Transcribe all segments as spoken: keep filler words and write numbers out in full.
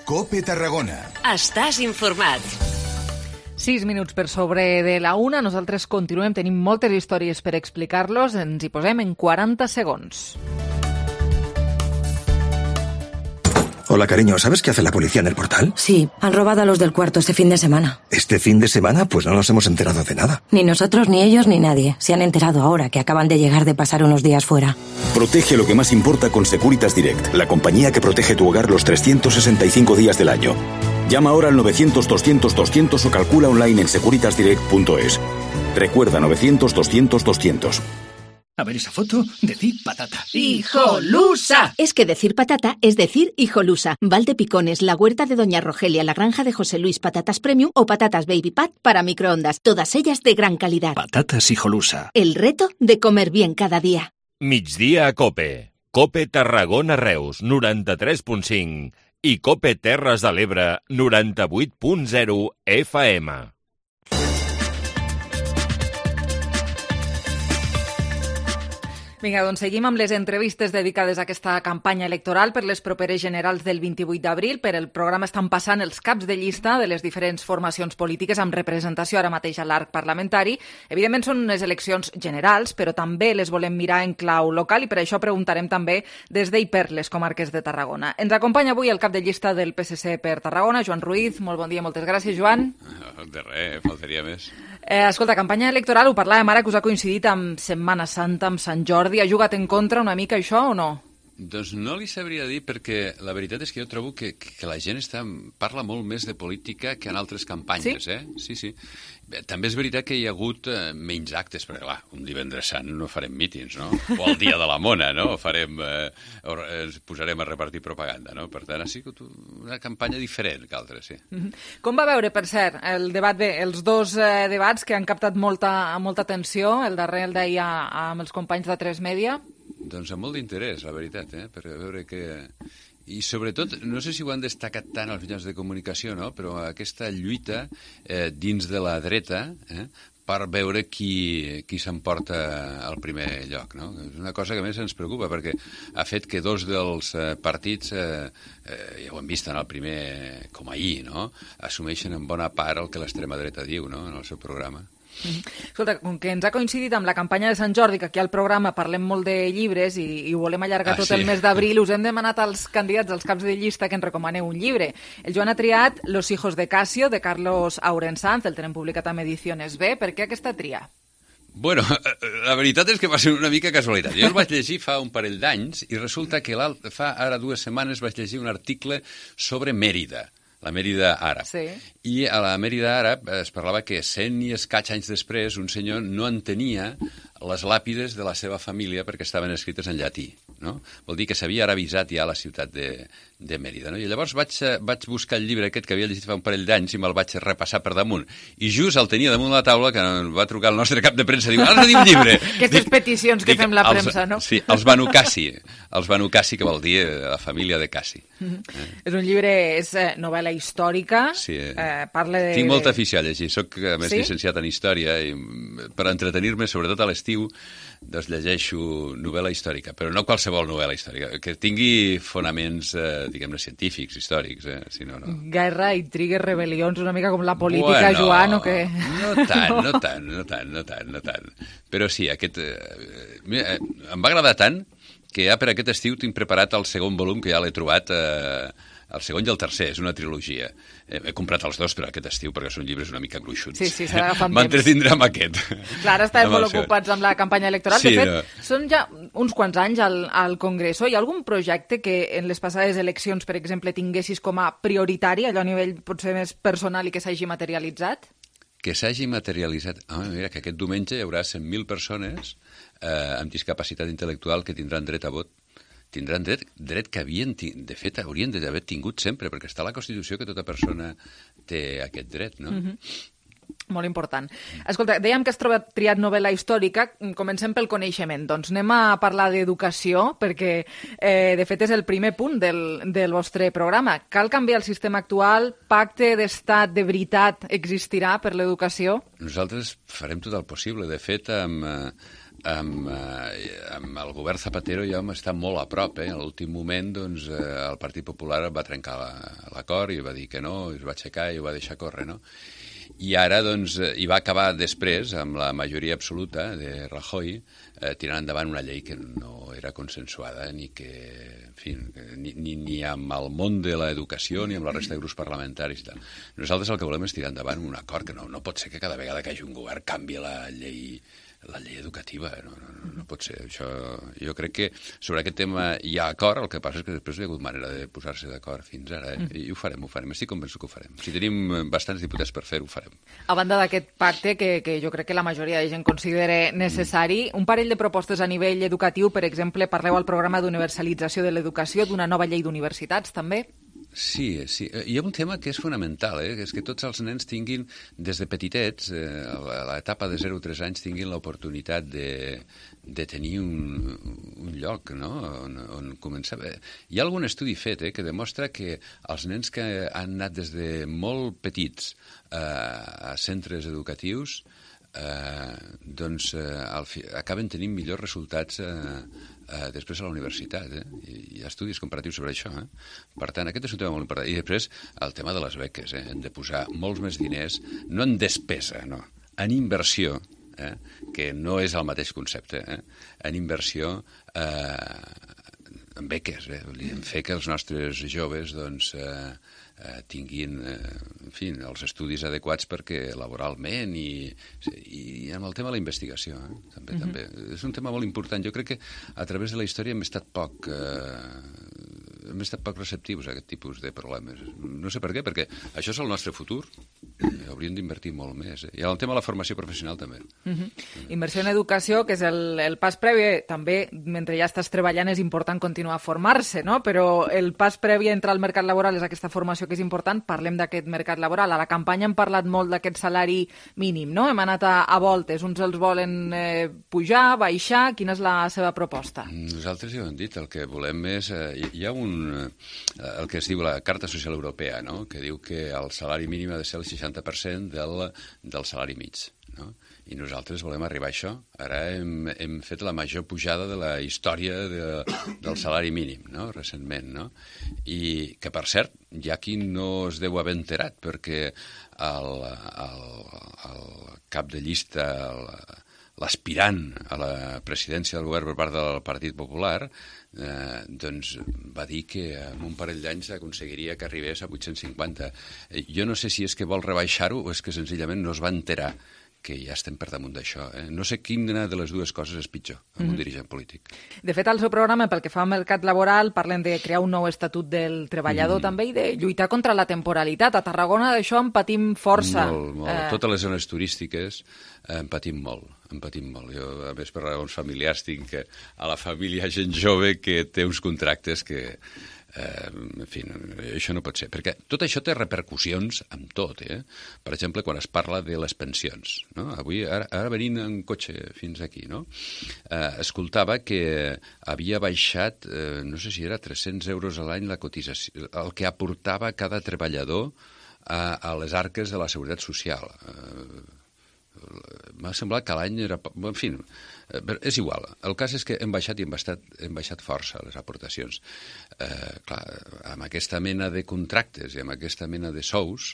COPE Tarragona. Estàs informat. Sis minuts per sobre de la una. Nosaltres continuem, tenim moltes històries per explicar-los. Ens hi posem en quaranta segons. Hola, cariño, ¿sabes qué hace la policía en el portal? Sí, han robado a los del cuarto este fin de semana. ¿Este fin de semana? Pues no nos hemos enterado de nada. Ni nosotros, ni ellos, ni nadie. Se han enterado ahora que acaban de llegar de pasar unos días fuera. Protege lo que más importa con Securitas Direct, la compañía que protege tu hogar los trescientos sesenta y cinco días del año. Llama ahora al novecientos doscientos doscientos o calcula online en securitas direct punto es. Recuerda novecientos doscientos doscientos. A ver esa foto, decir patata. ¡Hijolusa! Es que decir patata es decir hijolusa. Valdepicones, la huerta de Doña Rogelia, la granja de José Luis, patatas premium o patatas baby pat para microondas. Todas ellas de gran calidad. Patatas hijolusa. El reto de comer bien cada día. Migdia a COPE. COPE Tarragona Reus, noranta-tres punt cinc. I COPE Terres de l'Ebre, noranta-vuit punt zero F M. Vinga, doncs seguim amb les entrevistes dedicades a aquesta campanya electoral per les properes generals del vint-i-vuit d'abril. Per el programa estan passant els caps de llista de les diferents formacions polítiques amb representació ara mateix a l'arc parlamentari. Evidentment són unes eleccions generals, però també les volem mirar en clau local i per això preguntarem també des d'hi per les comarques de Tarragona. Ens acompanya avui el cap de llista del P S C per Tarragona, Joan Ruiz. Molt bon dia, moltes gràcies, Joan. De res, faltaria més. Eh, escolta, campanya electoral, ho parlàvem ara que us ha coincidit amb Setmana Santa, amb Sant Jordi. Ha jugat en contra una mica això o no? Doncs no li sabria dir perquè la veritat és que jo trobo que, que la gent està, parla molt més de política que en altres campanyes. Sí? Eh? Sí, sí. Bé, també és veritat que hi ha hagut eh, menys actes, perquè clar, un divendres sant no farem mítings, no? O el dia de la mona, no? Farem, eh, ens posarem a repartir propaganda, no? Per tant, ha sigut una campanya diferent que altres, sí. Mm-hmm. Com va veure, per cert, el debat, bé, els dos eh, debats que han captat molta, molta atenció, el darrer el d'ahir amb els companys de tres Media? Doncs amb molt d'interès, la veritat, eh? Per veure que... I sobretot, no sé si ho han destacat tant els mitjans de comunicació, no? Però aquesta lluita eh, dins de la dreta eh, per veure qui, qui s'emporta al primer lloc, no? És una cosa que a més ens preocupa perquè ha fet que dos dels eh, partits, eh, eh, ja ho hem vist en el primer, com ahir, no? Assumeixen en bona part el que l'extrema dreta diu, no? En el seu programa. Escolta, com que ens ha coincidit amb la campanya de Sant Jordi, que aquí al programa parlem molt de llibres i, i ho volem allargar ah, tot sí. el mes d'abril, us hem demanat als candidats, als caps de llista, que ens recomaneu un llibre. El Joan ha triat Los hijos de Casio, de Carlos Aurensanz, el tenen publicat amb Ediciones B. Per què aquesta tria? Bueno, la veritat és que va ser una mica casualitat. Jo el vaig llegir fa un parell d'anys i resulta que fa ara dues setmanes vaig llegir un article sobre Mèrida, la Mèrida àrab. Sí. I a la Mèrida àrab es parlava que cent i escaig anys després un senyor no entenia les làpides de la seva família perquè estaven escrites en llatí, no? Vol dir que s'havia arabitzat ja a la ciutat de, de Mèrida, no? I llavors vaig, vaig buscar el llibre aquest que havia llegit fa un parell d'anys i me'l vaig repassar per damunt. I just el tenia damunt la taula que em va trucar el nostre cap de premsa i diu, has de dir un llibre! Aquestes dic, peticions que dic, fem la premsa, els, no? Sí, els Banu Cassi, els Banu Cassi, que vol dir la família de Cassi. Mm-hmm. Eh? És un llibre, és eh, novel·la històrica, sí, eh, parla de... Tinc molta afició a llegir, soc a més sí? llicenciat en història i per entretenir-me, sobretot a l'estiu, doncs llegeixo novel·la històrica, però no qualsevol novel·la històrica, que tingui fonaments, eh, diguem-ne, científics, històrics, eh? Si no, no. Guerra, intrigues, rebel·lions, una mica com la política, bueno, Joan, o què? No tant, no tant, no tant, no tant, no tant. Però sí, aquest... Eh, mira, em va agradar tant que ja per aquest estiu tinc preparat el segon volum, que ja l'he trobat... Eh, el segon i el tercer, és una trilogia. He, he comprat els dos per aquest estiu perquè són llibres una mica gruixuts. Sí, sí, s'ha d'agafar amb temps. M'entretindrà amb aquest. Clar, ara estàvem molt ocupats amb la campanya electoral. Sí, de fet, no. són ja uns quants anys al, al Congreso. Hi ha algun projecte que en les passades eleccions, per exemple, tinguessis com a prioritari, allò a nivell potser més personal i que s'hagi materialitzat? Que s'hagi materialitzat... Home, mira, que aquest diumenge hi haurà cent mil persones eh, amb discapacitat intel·lectual que tindran dret a vot. Tindran dret, dret que havien, de fet, haurien d'haver tingut sempre, perquè està a la Constitució que tota persona té aquest dret, no? Mm-hmm. Molt important. Escolta, dèiem que has trobat triat novel·la històrica. Comencem pel coneixement. Doncs anem a parlar d'educació, perquè, eh, de fet, és el primer punt del, del vostre programa. Cal canviar el sistema actual? Pacte d'estat de veritat existirà per l'educació? Nosaltres farem tot el possible. De fet, amb... Eh, amb, eh, amb el govern Zapatero ja vam estar molt a prop. Eh? A l'últim moment doncs, eh, el Partit Popular va trencar l'acord i va dir que no, i es va aixecar i ho va deixar córrer, no? I ara, doncs, hi va acabar després, amb la majoria absoluta de Rajoy, eh, tirant endavant una llei que no era consensuada ni que, en fi, ni, ni, ni amb el món de l'educació ni amb la resta de grups parlamentaris. Tal. Nosaltres el que volem és tirar endavant un acord que no, no pot ser que cada vegada que hi hagi un govern canvi la llei la llei educativa, no, no, no pot ser. Això, jo crec que sobre aquest tema hi ha acord, el que passa és que després no hi ha hagut manera de posar-se d'acord fins ara, eh? I ho farem, ho farem, estic convençut que ho farem. Si tenim bastants diputats per fer-ho, ho farem. A banda d'aquest pacte, que, que jo crec que la majoria de gent considera necessari, un parell de propostes a nivell educatiu, per exemple, parleu al programa d'universalització de l'educació, d'una nova llei d'universitats, també? Sí, sí. Hi ha un tema que és fonamental, eh? Que és que tots els nens tinguin, des de petitets, eh, a l'etapa de zero a tres anys, tinguin l'oportunitat de, de tenir un, un lloc, no?, on, on començar. Hi ha algun estudi fet eh, que demostra que els nens que han anat des de molt petits eh, a centres educatius eh, doncs eh, al fi, acaben tenint millors resultats eh, Uh, després a la universitat, eh? I hi ha estudis comparatius sobre això, eh? Per tant, aquest és un tema molt important. I després, el tema de les beques, eh? Hem de posar molts més diners, no en despesa, no, en inversió, eh? Que no és el mateix concepte, eh? En inversió, eh, en beques, eh? En fer que els nostres joves, doncs, eh, eh, tinguin, eh, en fi, els estudis adequats perquè laboralment i, i amb el tema de la investigació, eh? també, uh-huh. també. És un tema molt important. Jo crec que a través de la història hem estat poc... Eh, hem estat poc receptius a aquest tipus de problemes. No sé per què, perquè això és el nostre futur. Hauríem d'invertir molt més. Eh? I el tema de la formació professional també. Uh-huh. Inversió en educació, que és el, el pas previ, també, mentre ja estàs treballant, és important continuar a formar-se, no? Però el pas previ a entrar al mercat laboral és aquesta formació que és important. Parlem d'aquest mercat laboral. A la campanya hem parlat molt d'aquest salari mínim, no? Hem anat a, a voltes. Uns els volen eh, pujar, baixar. Quina és la seva proposta? Nosaltres ja ho hem dit. El que volem és... Eh, hi ha un el que es diu la Carta Social Europea, no? Que diu que el salari mínim ha de ser el seixanta per cent del, del salari mig. No? I nosaltres volem arribar a això. Ara hem, hem fet la major pujada de la història de, del salari mínim, no? Recentment. No? I que, per cert, hi ha qui no es deu haver enterat, perquè el, el, el cap de llista... El, l'aspirant a la presidència del govern per part del Partit Popular eh, doncs va dir que en un parell d'anys aconseguiria que arribés a vuit-cents cinquanta. Jo no sé si és que vol rebaixar-ho o és que senzillament no es va enterar que ja estem per damunt d'això. Eh? No sé quina de les dues coses és pitjor amb mm-hmm. un dirigent polític. De fet, al seu programa, pel que fa al mercat laboral, parlen de crear un nou estatut del treballador mm. també i de lluitar contra la temporalitat. A Tarragona d'això en patim força. Molt, molt. Eh... Totes les zones turístiques eh, en patim molt. En patim molt. Jo, a més, per raons familiars, tinc que a la família hi ha gent jove que té uns contractes que... Eh, en fi, això no pot ser, perquè tot això té repercussions amb tot, eh? Per exemple, quan es parla de les pensions, no? Avui, ara, ara venint en cotxe fins aquí, no? Eh, escoltava que havia baixat, eh, no sé si era tres-cents euros a l'any la cotització, el que aportava cada treballador a, a les arques de la Seguretat Social. Eh, m'ha semblat que l'any era... En fi, és igual. El cas és que hem baixat i hem baixat, hem baixat força les aportacions. Eh, clar, amb aquesta mena de contractes i amb aquesta mena de sous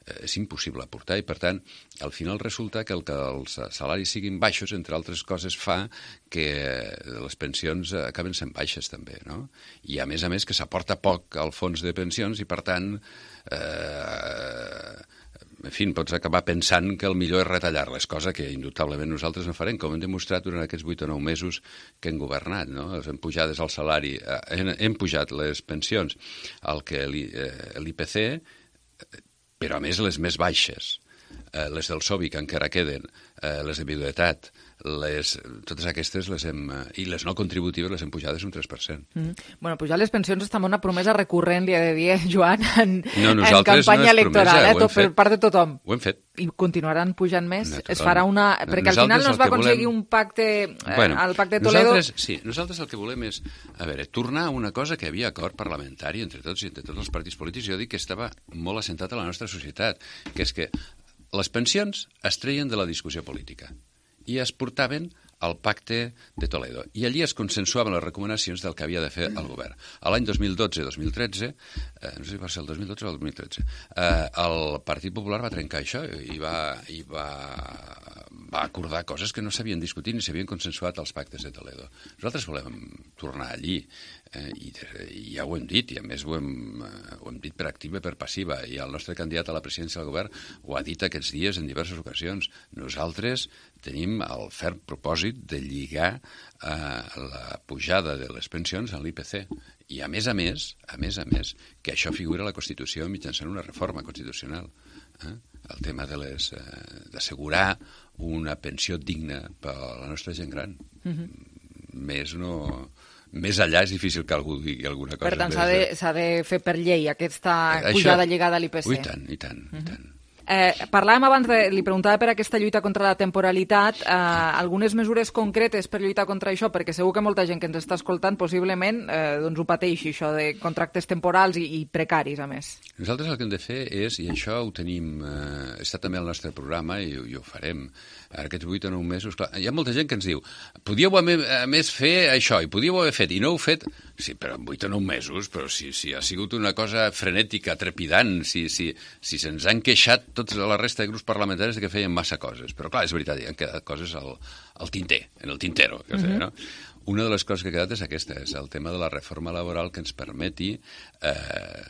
eh, és impossible aportar i, per tant, al final resulta que el que els salaris siguin baixos, entre altres coses, fa que les pensions acaben sent baixes també, no? I, a més a més, que s'aporta poc al fons de pensions i, per tant... Eh, en fi, pots acabar pensant que el millor és retallar-les, cosa que indubtablement nosaltres no farem, com hem demostrat durant aquests vuit o nou mesos que hem governat, no? Hem pujat el salari, hem, hem pujat les pensions al que l'I P C, però a més les més baixes, les del S O B I que encara queden, les de viduïtat, les, totes aquestes les hem, i les no contributives les hem pujades un tres per cent. Mm. Bueno, pujar les pensions està una promesa recurrent, li he de dir, Joan, en, no, en campanya no electoral, promesa, eh, tot, per part de tothom. Ho hem fet. I continuaran pujant més? Naturalment. Es farà una... Perquè al final no es va aconseguir volem... un pacte, eh, bueno, el pacte de Toledo... Nosaltres, sí, nosaltres el que volem és, a veure, tornar a una cosa que havia acord parlamentari entre tots i entre tots els partits polítics. Jo dic que estava molt assentat a la nostra societat, que és que les pensions es treien de la discussió política i es portaven al Pacte de Toledo. I allí es consensuaven les recomanacions del que havia de fer el govern. A l'any dos mil dotze dos mil tretze, eh, no sé si va ser el dos mil dotze o el dos mil tretze, eh, el Partit Popular va trencar això i va, i va, va acordar coses que no s'havien discutit ni s'havien consensuat als pactes de Toledo. Nosaltres volem tornar allí, eh, i, i ja ho hem dit, i a més ho hem, eh, ho hem dit per activa i per passiva, i el nostre candidat a la presidència del govern ho ha dit aquests dies en diverses ocasions. Nosaltres tenim el ferm propòsit de lligar eh, la pujada de les pensions a l'I P C. I a més a més, a més a més, que això figura a la Constitució mitjançant una reforma constitucional. Eh? El tema de les eh, d'assegurar una pensió digna per a la nostra gent gran. Mm-hmm. Més no... Més allà és difícil que algú digui alguna cosa. Per tant, s'ha de, s'ha de fer per llei aquesta Això, pujada lligada a l'I P C. Ui, tant, i tant, mm-hmm. i tant. Eh, parlàvem abans, de, li preguntava per aquesta lluita contra la temporalitat, eh, algunes mesures concretes per lluitar contra això, perquè segur que molta gent que ens està escoltant possiblement eh, doncs ho pateixi, això de contractes temporals i, i precaris, a més. Nosaltres el que hem de fer és, i això ho tenim, eh, està també al nostre programa i, i ho farem, ara aquests vuit o nou mesos, clar, hi ha molta gent que ens diu, podíeu a més fer això, i podíeu haver fet, i no heu fet, sí, però en vuit o nou mesos, però si, si ha sigut una cosa frenètica, trepidant, si, si, si se'ns han queixat tots la resta de grups parlamentaris que feien massa coses. Però clar, és veritat, hi han quedat coses al, al tinter, en el tintero. Que uh-huh. sé, no? Una de les coses que ha quedat és aquesta, és el tema de la reforma laboral que ens permeti eh,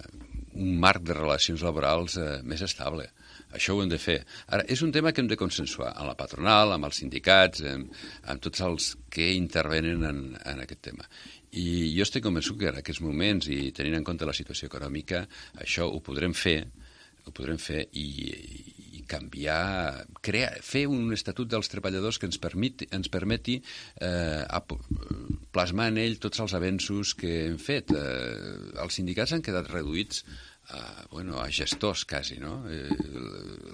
un marc de relacions laborals eh, més estable. Això ho hem de fer. Ara, és un tema que hem de consensuar amb la patronal, amb els sindicats, amb, amb tots els que intervenen en, en aquest tema. I jo estic convençut que en aquests moments, i tenint en compte la situació econòmica, això ho podrem fer, ho podrem fer i, i canviar, crear, fer un estatut dels treballadors que ens permeti, ens permeti eh, plasmar en ell tots els avenços que hem fet. Eh, els sindicats han quedat reduïts a, bueno, a gestors, quasi, no? Eh,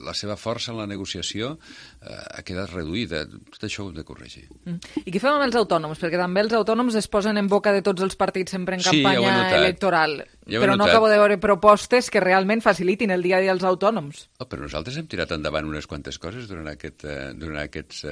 la seva força en la negociació eh, ha quedat reduïda. Tot això ho hem de corregir. Mm. I què fem amb els autònoms? Perquè també els autònoms es posen en boca de tots els partits sempre en campanya sí, ja electoral. Ja però no acabo de veure propostes que realment facilitin el dia a dia als autònoms. Oh, però nosaltres hem tirat endavant unes quantes coses durant, aquest, eh, durant aquests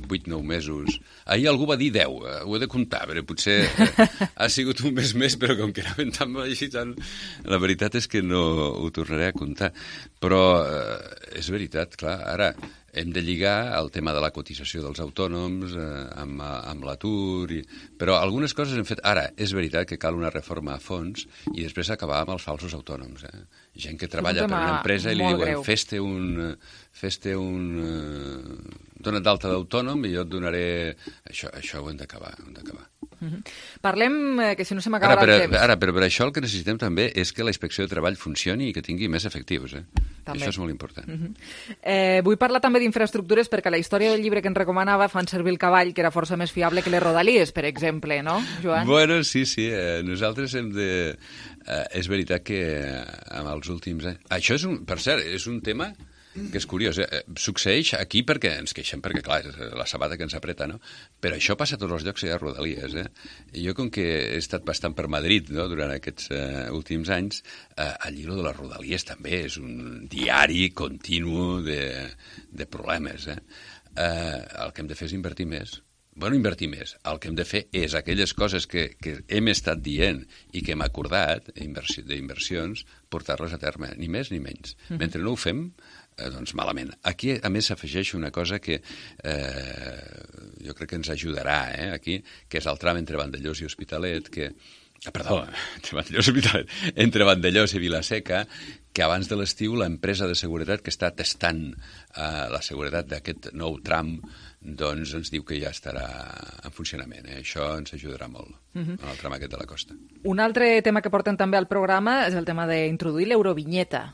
vuit o nou mesos. Ahir algú va dir deu, eh, ho he de comptar, però potser eh, ha sigut un mes més, però com que anaven tan així, tan... la veritat és que no ho tornaré a comptar. Però eh, és veritat, clar, ara hem de lligar el tema de la cotització dels autònoms eh, amb, amb l'atur, i... però algunes coses hem fet. Ara, és veritat que cal una reforma a fons i després acabar amb els falsos autònoms. Eh? Gent que treballa per una empresa i li diuen fes-te un... fes-te un eh, dona't d'alta d'autònom i jo et donaré... Això, això ho hem d'acabar, ho hem d'acabar. Mm-hmm. Parlem, eh, que si no se m'acaba el temps. Ara, però per això el que necessitem també és que la inspecció de treball funcioni i que tingui més efectius. Eh? Això és molt important. Mm-hmm. eh, vull parlar també d'infraestructures perquè la història del llibre que ens recomanava fan servir el cavall, que era força més fiable que les rodalies, per exemple, no, Joan? Bueno, sí, sí. Eh, nosaltres hem de... Eh, és veritat que eh, amb els últims anys... Això és un... Per cert, és un tema... que és curiós, eh? Succeeix aquí perquè ens queixem, perquè clar, és la sabata que ens apreta, no? Però això passa a tots els llocs que hi ha rodalies, eh? I jo, com que he estat bastant per Madrid, no?, durant aquests eh, últims anys, eh, el llibre de les rodalies també és un diari continu de, de problemes, eh? Eh, el que hem de fer és invertir més. Bueno, invertir més. El que hem de fer és aquelles coses que, que hem estat dient i que hem acordat inversió, d'inversions, portar-les a terme, ni més ni menys. Mm-hmm. Mentre no ho fem, eh, doncs malament. Aquí, a més, s'afegeix una cosa que eh, jo crec que ens ajudarà, eh, aquí, que és el tram entre Vandellós i Hospitalet, que... Ah, perdó, entre Vandellós i Hospitalet, entre Vandellós i Vilaseca, que abans de l'estiu l'empresa de seguretat que està testant eh, la seguretat d'aquest nou tram doncs ens diu que ja estarà en funcionament. Eh? Això ens ajudarà molt, uh-huh. en el tram aquest de la costa. Un altre tema que porten també al programa és el tema d'introduir l'eurovinyeta.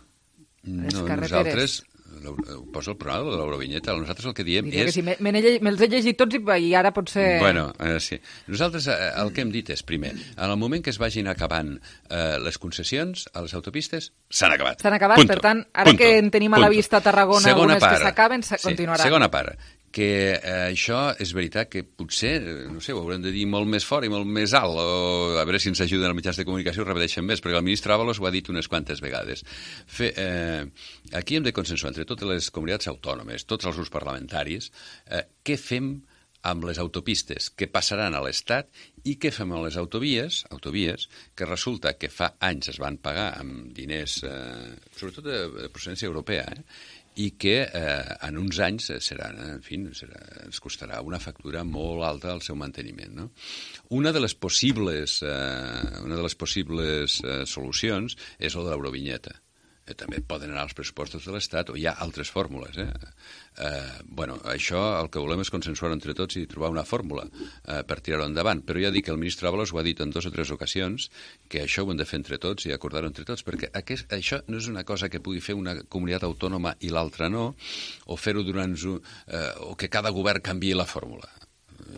No, nosaltres... Ho posa el programa de l'eurovinyeta. Nosaltres el que diem Diria és... Que sí, me, me'ls he llegit tots i, i ara potser... Bueno, eh, sí. Nosaltres eh, el que hem dit és, primer, en el moment que es vagin acabant eh, les concessions a les autopistes, s'han acabat. S'han acabat, punto, per tant, ara punto, que en tenim a la punto. vista a Tarragona segona algunes part, que s'acaben, sí, continuaran. Segona part, que eh, això és veritat que potser, no sé, ho haurem de dir molt més fort i molt més alt, o a veure si ens ajuden els mitjans de comunicació i repeteixen més, perquè el ministre Ábalos ho ha dit unes quantes vegades. Fe, eh, aquí hem de consensuar entre totes les comunitats autònomes, tots els grups parlamentaris, eh, què fem amb les autopistes que passaran a l'Estat i què fem amb les autovies, autovies que resulta que fa anys es van pagar amb diners, eh, sobretot de, de procedència europea, eh, i que eh, en uns anys serà, en fi, serà, ens costarà una factura molt alta al seu manteniment. No? Una de les possibles, eh, una de les possibles eh, solucions és el de l'eurovinyeta. Eh, també poden anar als pressupostos de l'Estat o hi ha altres fórmules. Eh? Eh, bueno, això el que volem és consensuar entre tots i trobar una fórmula eh, per tirar-ho endavant. Però ja dic que el ministre Ábalos ho ha dit en dues o tres ocasions, que això ho hem de fer entre tots i acordar-ho entre tots, perquè aquest, això no és una cosa que pugui fer una comunitat autònoma i l'altra no, o fer-ho durant... Eh, o que cada govern canviï la fórmula.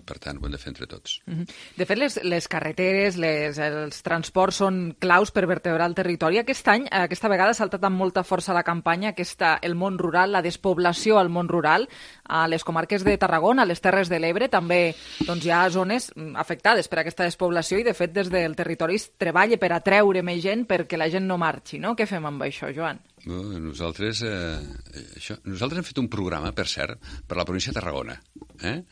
Per tant, ho hem de fer entre tots. De fet, les, les carreteres, les, els transports són claus per vertebrar el territori. Aquest any, aquesta vegada, ha saltat amb molta força la campanya, aquesta, el món rural, la despoblació al món rural, a les comarques de Tarragona, a les Terres de l'Ebre, també doncs, hi ha zones afectades per aquesta despoblació i, de fet, des del territori es treballa per atreure més gent perquè la gent no marxi, no? Què fem amb això, Joan? No, nosaltres, eh, això, nosaltres hem fet un programa, per cert, per la província de Tarragona, eh?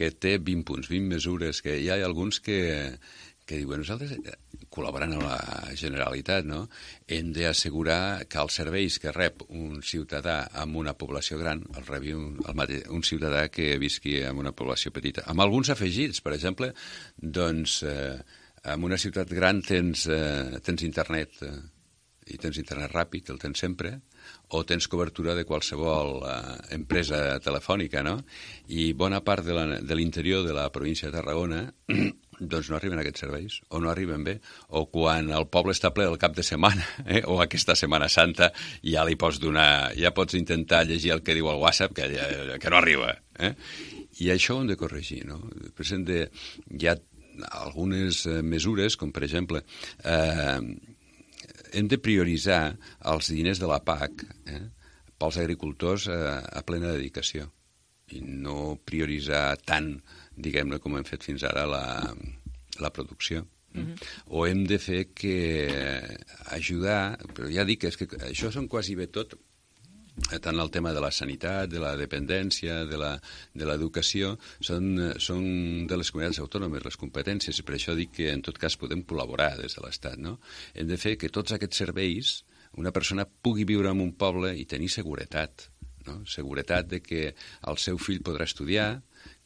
que té vint punts, vint mesures, que hi ha alguns que, que diuen nosaltres, col·laborant amb la Generalitat, no? Hem d'assegurar que els serveis que rep un ciutadà amb una població gran el rebi un, el mateix, un ciutadà que visqui en una població petita. Amb alguns afegits, per exemple, doncs, eh, en una ciutat gran tens, eh, tens internet, eh, i tens internet ràpid, el tens sempre, o tens cobertura de qualsevol eh, empresa telefònica, no? I bona part de l'interior de, de la província de Tarragona doncs no arriben aquests serveis, o no arriben bé, o quan el poble està ple el cap de setmana, eh? o aquesta Setmana Santa, ja li pots donar, ja pots intentar llegir el que diu el WhatsApp, que, que no arriba. Eh? I això ho hem de corregir, no? Després hem de, hi ha algunes mesures, com per exemple... Eh, hem de prioritzar els diners de la P A C eh, pels agricultors eh, a plena dedicació i no prioritzar tant, diguem-ne, com hem fet fins ara la, la producció. Mm-hmm. O hem de fer que ajudar, però ja dic que, és que això són quasi bé tot, tant el tema de la sanitat, de la dependència, de la, de l'educació, són, són de les comunitats autònomes les competències, i per això dic que en tot cas podem col·laborar des de l'Estat, no? Hem de fer que tots aquests serveis una persona pugui viure en un poble i tenir seguretat, no? Seguretat de que el seu fill podrà estudiar,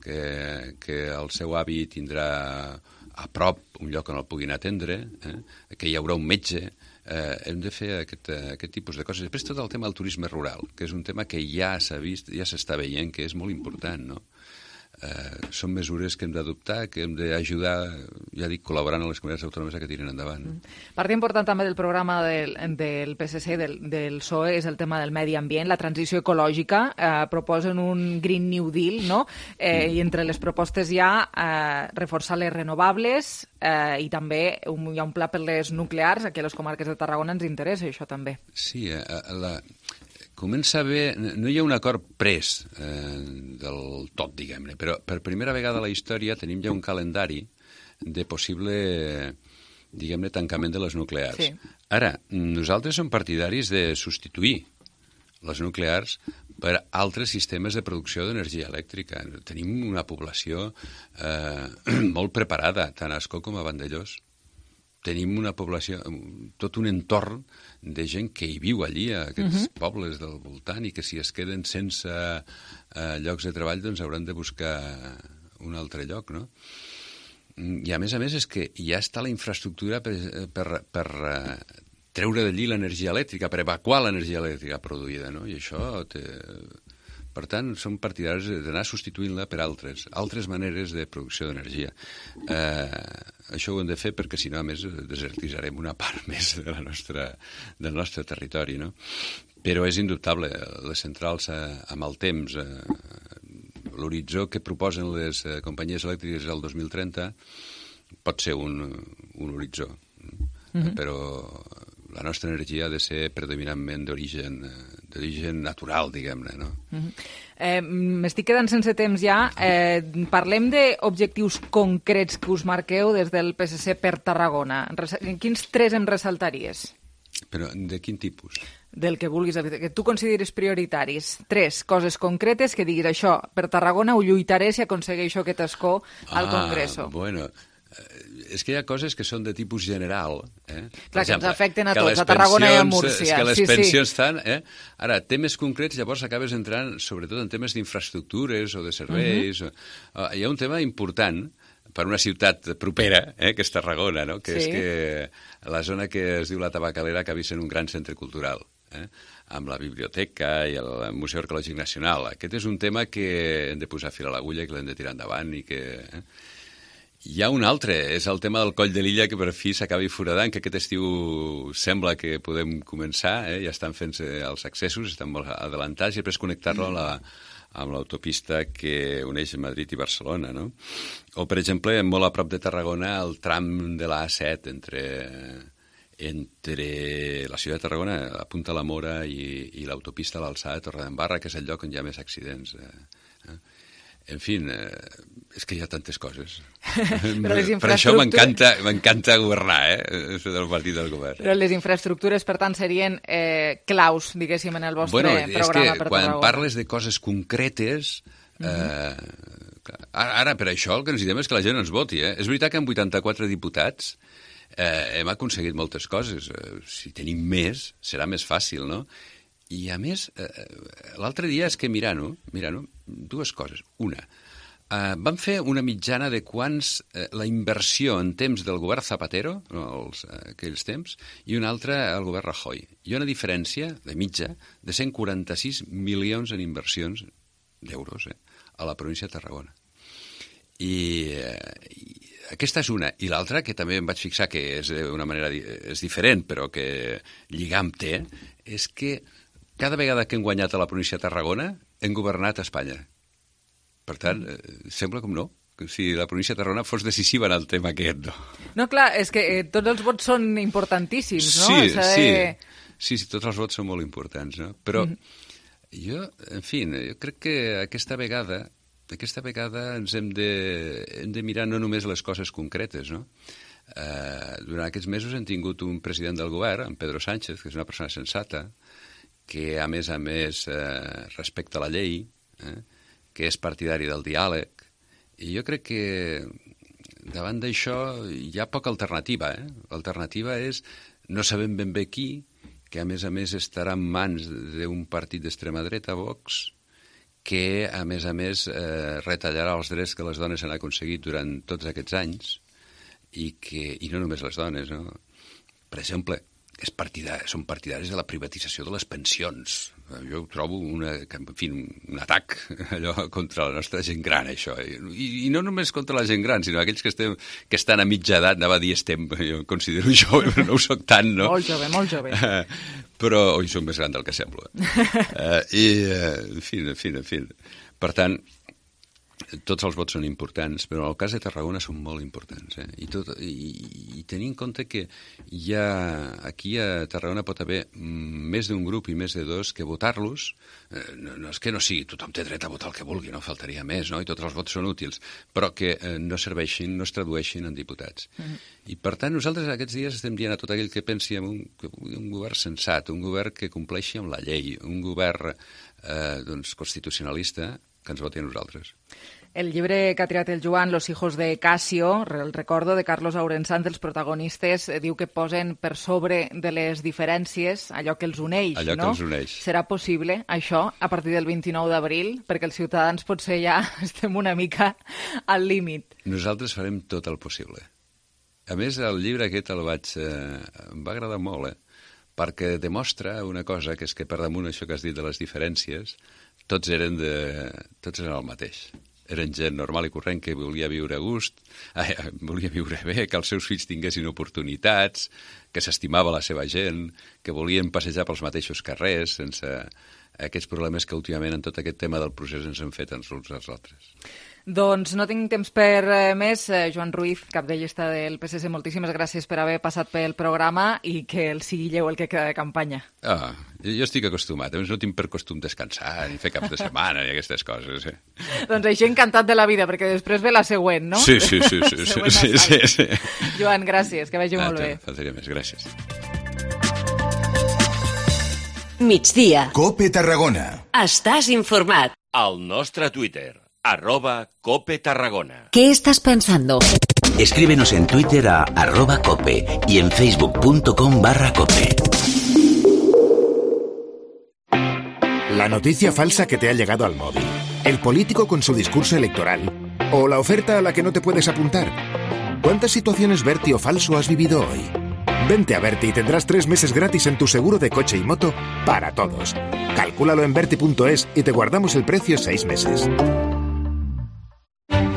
que, que el seu avi tindrà a prop un lloc on el puguin atendre, eh? que hi haurà un metge. Eh, hem de fer aquest, aquest tipus de coses. Després tot el tema del turisme rural, que és un tema que ja s'ha vist, ja s'està veient que és molt important, no? Eh, són mesures que hem d'adoptar, que hem d'ajudar, ja dic, col·laborant amb les comunitats autònomes que tiren endavant. Part important també del programa del, del P S C, del, del P S O E, és el tema del medi ambient, la transició ecològica. Eh, proposen un Green New Deal, no? Eh, mm. I entre les propostes hi ha eh, reforçar les renovables eh, i també un, hi ha un pla per les nuclears. Aquí a les comarques de Tarragona ens interessa això també. Sí, eh, la... Comença bé, no hi ha un acord pres eh, del tot, diguem-ne, però per primera vegada a la història tenim ja un calendari de possible, diguem-ne, tancament de les nuclears. Sí. Ara, nosaltres som partidaris de substituir les nuclears per altres sistemes de producció d'energia elèctrica. Tenim una població eh, molt preparada, tant a Ascó com a Vandellós. Tenim una població, tot un entorn de gent que hi viu allí, a aquests uh-huh. pobles del voltant, i que si es queden sense eh, llocs de treball, doncs hauran de buscar un altre lloc, no? I a més a més és que ja està la infraestructura per, per, per uh, treure d'allí l'energia elèctrica, per evacuar l'energia elèctrica produïda, no? I això té... Per tant, som partidaris d'anar substituint-la per altres, altres maneres de producció d'energia. Eh, això ho hem de fer perquè, si no, a més, desertitzarem una part més de la nostra, del nostre territori, no? Però és indubtable, les centrals eh, amb el temps, eh, l'horitzó que proposen les eh, companyies elèctriques al dos mil trenta pot ser un, un horitzó, mm-hmm. però la nostra energia ha de ser predominantment d'origen d'origen natural, diguem-ne, no? Mm-hmm. eh, M'estic quedant sense temps ja. Eh, parlem d'objectius concrets que us marqueu des del P S C per Tarragona. Quins tres em ressaltaries? Però de quin tipus? Del que vulguis, que tu consideris prioritaris. Tres coses concretes que diguis això, per Tarragona ho lluitaré si aconsegueixo aquest escó al Congreso. Ah, bueno, és que hi ha coses que són de tipus general. Eh? Clar, exemple, que ens afecten a tots, a Tarragona i a Múrcia. És que les sí, pensions sí. estan... Eh? Ara, temes concrets, llavors acabes entrant sobretot en temes d'infraestructures o de serveis. Uh -huh. o... uh, hi ha un tema important per una ciutat propera, eh, que és Tarragona, no? que sí. és que la zona que es diu la Tabacalera acabi sent un gran centre cultural. Eh? Amb la biblioteca i el Museu Arqueològic Nacional. Aquest és un tema que hem de posar fil a l'agulla i que l'hem de tirar endavant i que... Eh? Hi ha un altre, és el tema del Coll de l'Illa, que per fi s'acabi foradant, que aquest estiu sembla que podem començar, eh? ja estan fent els accessos, estan molt adelantats, i després connectar-lo amb la amb l'autopista que uneix Madrid i Barcelona, no? O, per exemple, molt a prop de Tarragona, el tram de l'A set entre... entre la ciutat de Tarragona, la Punta la Mora i, i l'autopista a l'alçada de Torredembarra, que és el lloc on hi ha més accidents. Eh? En fi, eh, és que hi ha tantes coses. Per això m'encanta m'encanta governar, eh? Ser del partit del govern. Però les infraestructures, per tant, serien eh, claus, diguéssim, en el vostre bueno, programa és que per quan Tarragona. Parles de coses concretes... Eh, uh-huh. ara, ara, per això, el que necessitem és que la gent ens voti. Eh? És veritat que amb vuitanta-quatre diputats Eh, hem aconseguit moltes coses. Eh, si tenim més, serà més fàcil, no? I, a més, eh, l'altre dia és que mirant-ho, mirant-ho, dues coses. Una, eh, vam fer una mitjana de quants eh, la inversió en temps del govern Zapatero, no, els, eh, aquells temps, i una altra al govern Rajoy. Hi ha una diferència de mitja de cent quaranta-sis milions en inversions d'euros eh, a la província de Tarragona. I... Eh, i aquesta és una. I l'altra, que també em vaig fixar que és d'una manera és diferent, però que lligam té, és que cada vegada que hem guanyat a la província de Tarragona hem governat a Espanya. Per tant, eh, sembla com no, que si la província de Tarragona fos decisiva en el tema aquest, no? No, clar, és que eh, tots els vots són importantíssims, no? Sí, de... sí, sí, sí, tots els vots són molt importants, no? Però mm. jo, en fi, jo crec que aquesta vegada... Aquesta vegada ens hem de, hem de mirar no només les coses concretes, no? Eh, durant aquests mesos hem tingut un president del govern, en Pedro Sánchez, que és una persona sensata, que a més a més eh, respecta la llei, eh, que és partidari del diàleg, i jo crec que davant d'això hi ha poca alternativa. Eh? L'alternativa és no sabem ben bé qui, que a més a més estarà en mans d'un partit d'extrema dreta, Vox, que, a més a més, eh, retallarà els drets que les dones han aconseguit durant tots aquests anys i, que, i no només les dones, no? Per exemple, és partidari, són partidaris de la privatització de les pensions. Jo ho trobo una, en fi, un atac allò contra la nostra gent gran, això. I, i no només contra la gent gran, sinó aquells que, estem, que estan a mitja edat, anava a dir estem, jo em considero jove, però no ho soc tant, no? Molt jove, molt jove. Però, oi, soc més gran del que semblo. Uh, I, uh, en fi, en fi, en fi. Per tant, tots els vots són importants, però en el cas de Tarragona són molt importants. Eh? I, tot, i, I tenir en compte que hi ha, aquí a Tarragona pot haver més d'un grup i més de dos que votar-los, eh, no, no és que no sigui, tothom té dret a votar el que vulgui, no faltaria més, no? I tots els vots són útils, però que eh, no serveixin, no es tradueixin en diputats. Mm-hmm. I per tant nosaltres aquests dies estem dient a tot aquell que pensi en un, un govern sensat, un govern que compleixi amb la llei, un govern eh, doncs, constitucionalista, que ens voti a nosaltres. El llibre que ha triat el Joan, Los hijos de Casio, el recordo de Carlos Aurensant, dels protagonistes, diu que posen per sobre de les diferències allò que els uneix, allò no? que els uneix. Serà possible això a partir del vint-i-nou d'abril? Perquè els ciutadans potser ja estem una mica al límit. Nosaltres farem tot el possible. A més, el llibre aquest el vaig... Eh, em va agradar molt, eh? Perquè demostra una cosa, que és que per damunt això que has dit de les diferències, tots eren, de, tots eren el mateix. Eren gent normal i corrent que volia viure a gust, eh, volia viure bé, que els seus fills tinguessin oportunitats, que s'estimava la seva gent, que volien passejar pels mateixos carrers sense aquests problemes que últimament en tot aquest tema del procés ens han fet ens uns als altres. Doncs no tinc temps per eh, més. Eh, Joan Ruiz, cap de llista del P S C, moltíssimes gràcies per haver passat pel programa i que el sigui lleu el que queda de campanya. Ah, jo estic acostumat. A més, no tinc per costum descansar ni fer caps de setmana ni aquestes coses. Eh? Doncs així encantat de la vida, perquè després ve la següent, no? Sí, sí, sí. sí, sí, sí, sí, sí. Joan, gràcies, que vagi ah, molt bé. Faltaria més, gràcies. Migdia. Cope Tarragona. Estàs informat. Al nostre Twitter, arroba Cope Tarragona. ¿Qué estás pensando? Escríbenos en Twitter a arroba cope y en facebook.com barra cope. La noticia falsa que te ha llegado al móvil. El político con su discurso electoral. O la oferta a la que no te puedes apuntar. ¿Cuántas situaciones Berti o falso has vivido hoy? Vente a Berti y tendrás tres meses gratis en tu seguro de coche y moto para todos. Calcúlalo en berti punto es y te guardamos el precio seis meses.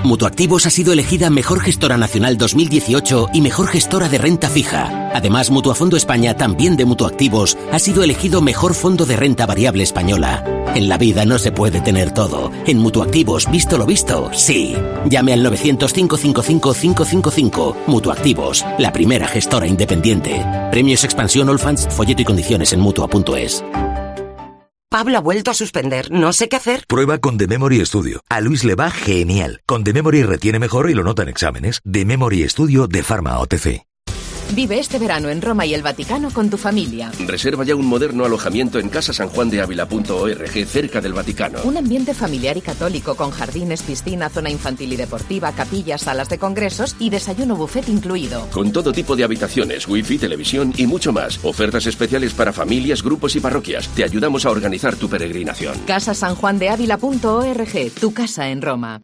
Mutuactivos ha sido elegida Mejor Gestora Nacional dos mil dieciocho y Mejor Gestora de Renta Fija. Además, Mutuafondo España, también de Mutuactivos, ha sido elegido Mejor Fondo de Renta Variable Española. En la vida no se puede tener todo. En Mutuactivos, visto lo visto, sí. Llame al nueve cero cinco cinco cinco cinco cinco cinco. Mutuactivos, la primera gestora independiente. Premios Expansión All Funds, folleto y condiciones en mutua punto es. Pablo ha vuelto a suspender. No sé qué hacer. Prueba con The Memory Studio. A Luis le va genial. Con The Memory retiene mejor y lo nota en exámenes. The Memory Studio de Pharma O T C. Vive este verano en Roma y el Vaticano con tu familia. Reserva ya un moderno alojamiento en casa san juan de ávila punto org, cerca del Vaticano. Un ambiente familiar y católico con jardines, piscina, zona infantil y deportiva, capillas, salas de congresos y desayuno buffet incluido. Con todo tipo de habitaciones, wifi, televisión y mucho más. Ofertas especiales para familias, grupos y parroquias. Te ayudamos a organizar tu peregrinación. casa san juan de ávila punto org, tu casa en Roma.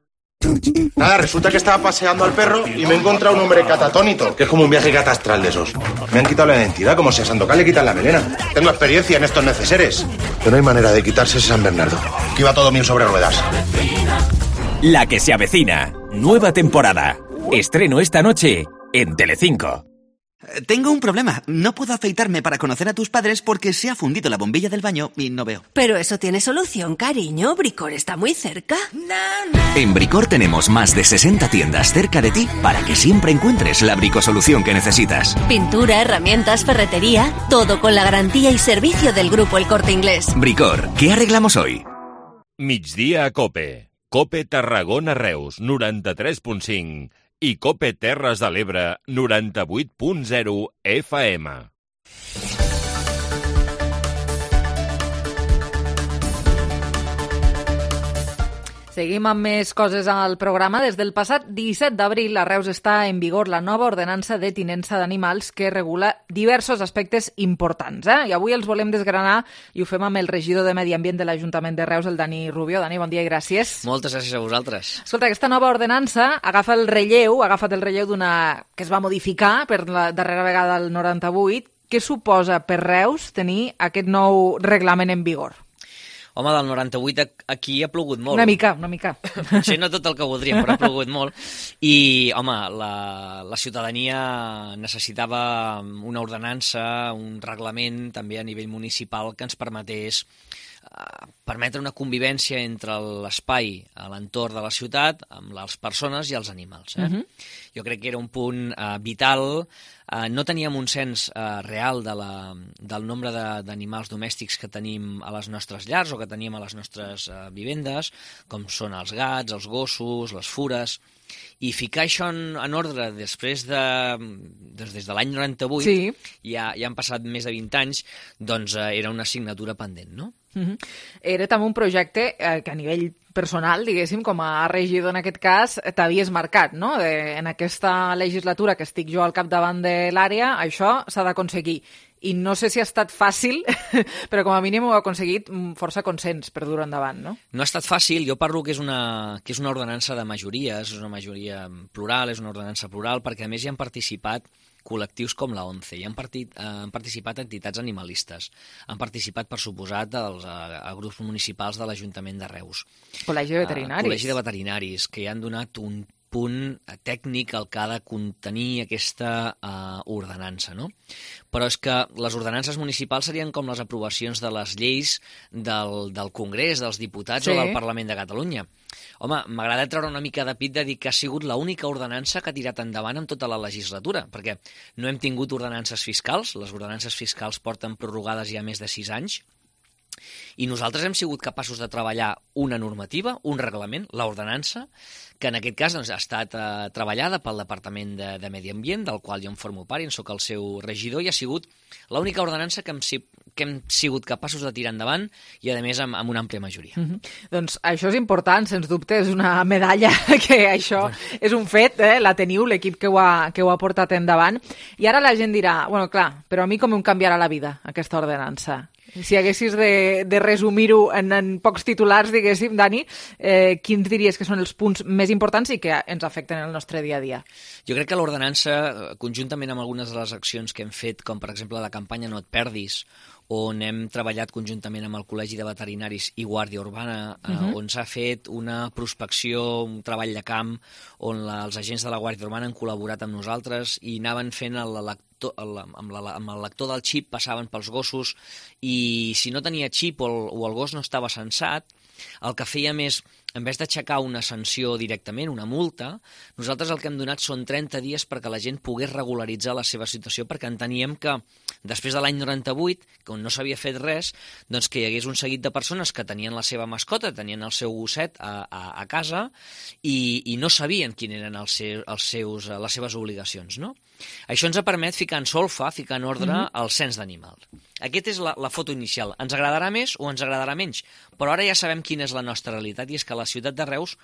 Nada, resulta que estaba paseando al perro y me he encontrado un hombre catatónico, que es como un viaje catastral de esos. Me han quitado la identidad, como si a Sandokan le quitan la melena. Tengo experiencia en estos neceseres. Pero no hay manera de quitarse ese San Bernardo, que iba todo bien sobre ruedas. La que se avecina. Nueva temporada. Estreno esta noche en Telecinco. Tengo un problema. No puedo afeitarme para conocer a tus padres porque se ha fundido la bombilla del baño y no veo. Pero eso tiene solución, cariño. Bricor está muy cerca. En Bricor tenemos más de sesenta tiendas cerca de ti para que siempre encuentres la bricosolución que necesitas. Pintura, herramientas, ferretería, todo con la garantía y servicio del Grupo El Corte Inglés. Bricor, ¿qué arreglamos hoy? Migdia a Cope. Cope Tarragona Reus, noranta-tres punt cinc. I Cope Terres de l'Ebre, noranta-vuit punt zero F M. Seguim amb més coses al programa. Des del passat disset d'abril a Reus està en vigor la nova ordenança de tinença d'animals que regula diversos aspectes importants. Eh? I avui els volem desgranar i ho fem amb el regidor de Medi Ambient de l'Ajuntament de Reus, el Dani Rubio. Dani, bon dia i gràcies. Moltes gràcies a vosaltres. Escolta, aquesta nova ordenança agafa el relleu, ha agafat el relleu d'una que es va modificar per la darrera vegada al noranta-vuit. Què suposa per Reus tenir aquest nou reglament en vigor? Home, del noranta-vuit aquí ha plogut molt. Una mica, una mica. Potser no tot el que voldríem, però ha plogut molt. I, home, la, la ciutadania necessitava una ordenança, un reglament també a nivell municipal que ens permetés uh, permetre una convivència entre l'espai a l'entorn de la ciutat amb les persones i els animals. Eh? Uh-huh. Jo crec que era un punt uh, vital. Uh, no teníem un cens uh, real de la, del nombre d'animals domèstics que tenim a les nostres llars o que teníem a les nostres uh, vivendes, com són els gats, els gossos, les fures, i ficar això en, en ordre després de, des, des de l'any noranta-vuit, sí. ja, ja han passat més de vint anys, doncs uh, era una assignatura pendent, no? Uh-huh. Era també un projecte eh, que a nivell personal, diguéssim, com a regidor en aquest cas, t'havies marcat, no? De, en aquesta legislatura que estic jo al capdavant de l'àrea, això s'ha d'aconseguir. I no sé si ha estat fàcil, però com a mínim ho ha aconseguit força consens per dur endavant, no? No ha estat fàcil. Jo parlo que és una, que és una ordenança de majories, és una majoria plural, és una ordenança plural, perquè a més hi han participat col·lectius com la ONCE, hi han, partit, eh, han participat entitats animalistes, han participat, per suposat, els a, a grups municipals de l'Ajuntament de Reus. Col·legi de veterinaris. Uh, Col·legi de veterinaris, que hi han donat un punt tècnic al que ha de contenir aquesta uh, ordenança, no? Però és que les ordenances municipals serien com les aprovacions de les lleis del, del Congrés, dels diputats, sí, o del Parlament de Catalunya. Home, m'agrada treure una mica de pit de dir que ha sigut l'única ordenança que ha tirat endavant en tota la legislatura, perquè no hem tingut ordenances fiscals, les ordenances fiscals porten prorrogades ja més de sis anys, I nosaltres hem sigut capaços de treballar una normativa, un reglament, l'ordenança, que en aquest cas doncs, ha estat eh, treballada pel Departament de, de Medi Ambient, del qual jo en formo part i en soc el seu regidor, i ha sigut l'única ordenança que hem, que hem sigut capaços de tirar endavant i, a més, amb, amb una àmplia majoria. Mm-hmm. Doncs això és important, sens dubte, és una medalla que això bueno. és un fet, eh? La teniu, l'equip que, ho ha, que ho ha portat endavant. I ara la gent dirà, bueno, clar, però a mi com em canviarà la vida, aquesta ordenança? Si haguessis de, de resumir-ho en, en pocs titulars, diguéssim, Dani, eh, quins diries que són els punts més importants i que ens afecten el nostre dia a dia? Jo crec que l'ordenança, conjuntament amb algunes de les accions que hem fet, com per exemple la campanya No et perdis, on hem treballat conjuntament amb el Col·legi de Veterinaris i Guàrdia Urbana, eh, uh-huh. on s'ha fet una prospecció, un treball de camp, on la, els agents de la Guàrdia Urbana han col·laborat amb nosaltres i anaven fent el lector, el, amb, la, amb el lector del xip, passaven pels gossos i si no tenia xip o el, o el gos no estava censat, el que fèiem és, en vez d'aixecar una sanció directament, una multa, nosaltres el que hem donat són trenta dies perquè la gent pogués regularitzar la seva situació, perquè enteníem que després de l'any noranta-vuit, quan no s'havia fet res, doncs que hi hagués un seguit de persones que tenien la seva mascota, tenien el seu gosset a, a, a casa i, i no sabien quin eren els seus, els seus, les seves obligacions, no? Això ens ha permès ficar en solfa, ficar en ordre mm-hmm. el cens d'animals. Aquesta és la, la foto inicial. Ens agradarà més o ens agradarà menys, però ara ja sabem quina és la nostra realitat i és que a la ciutat de Reus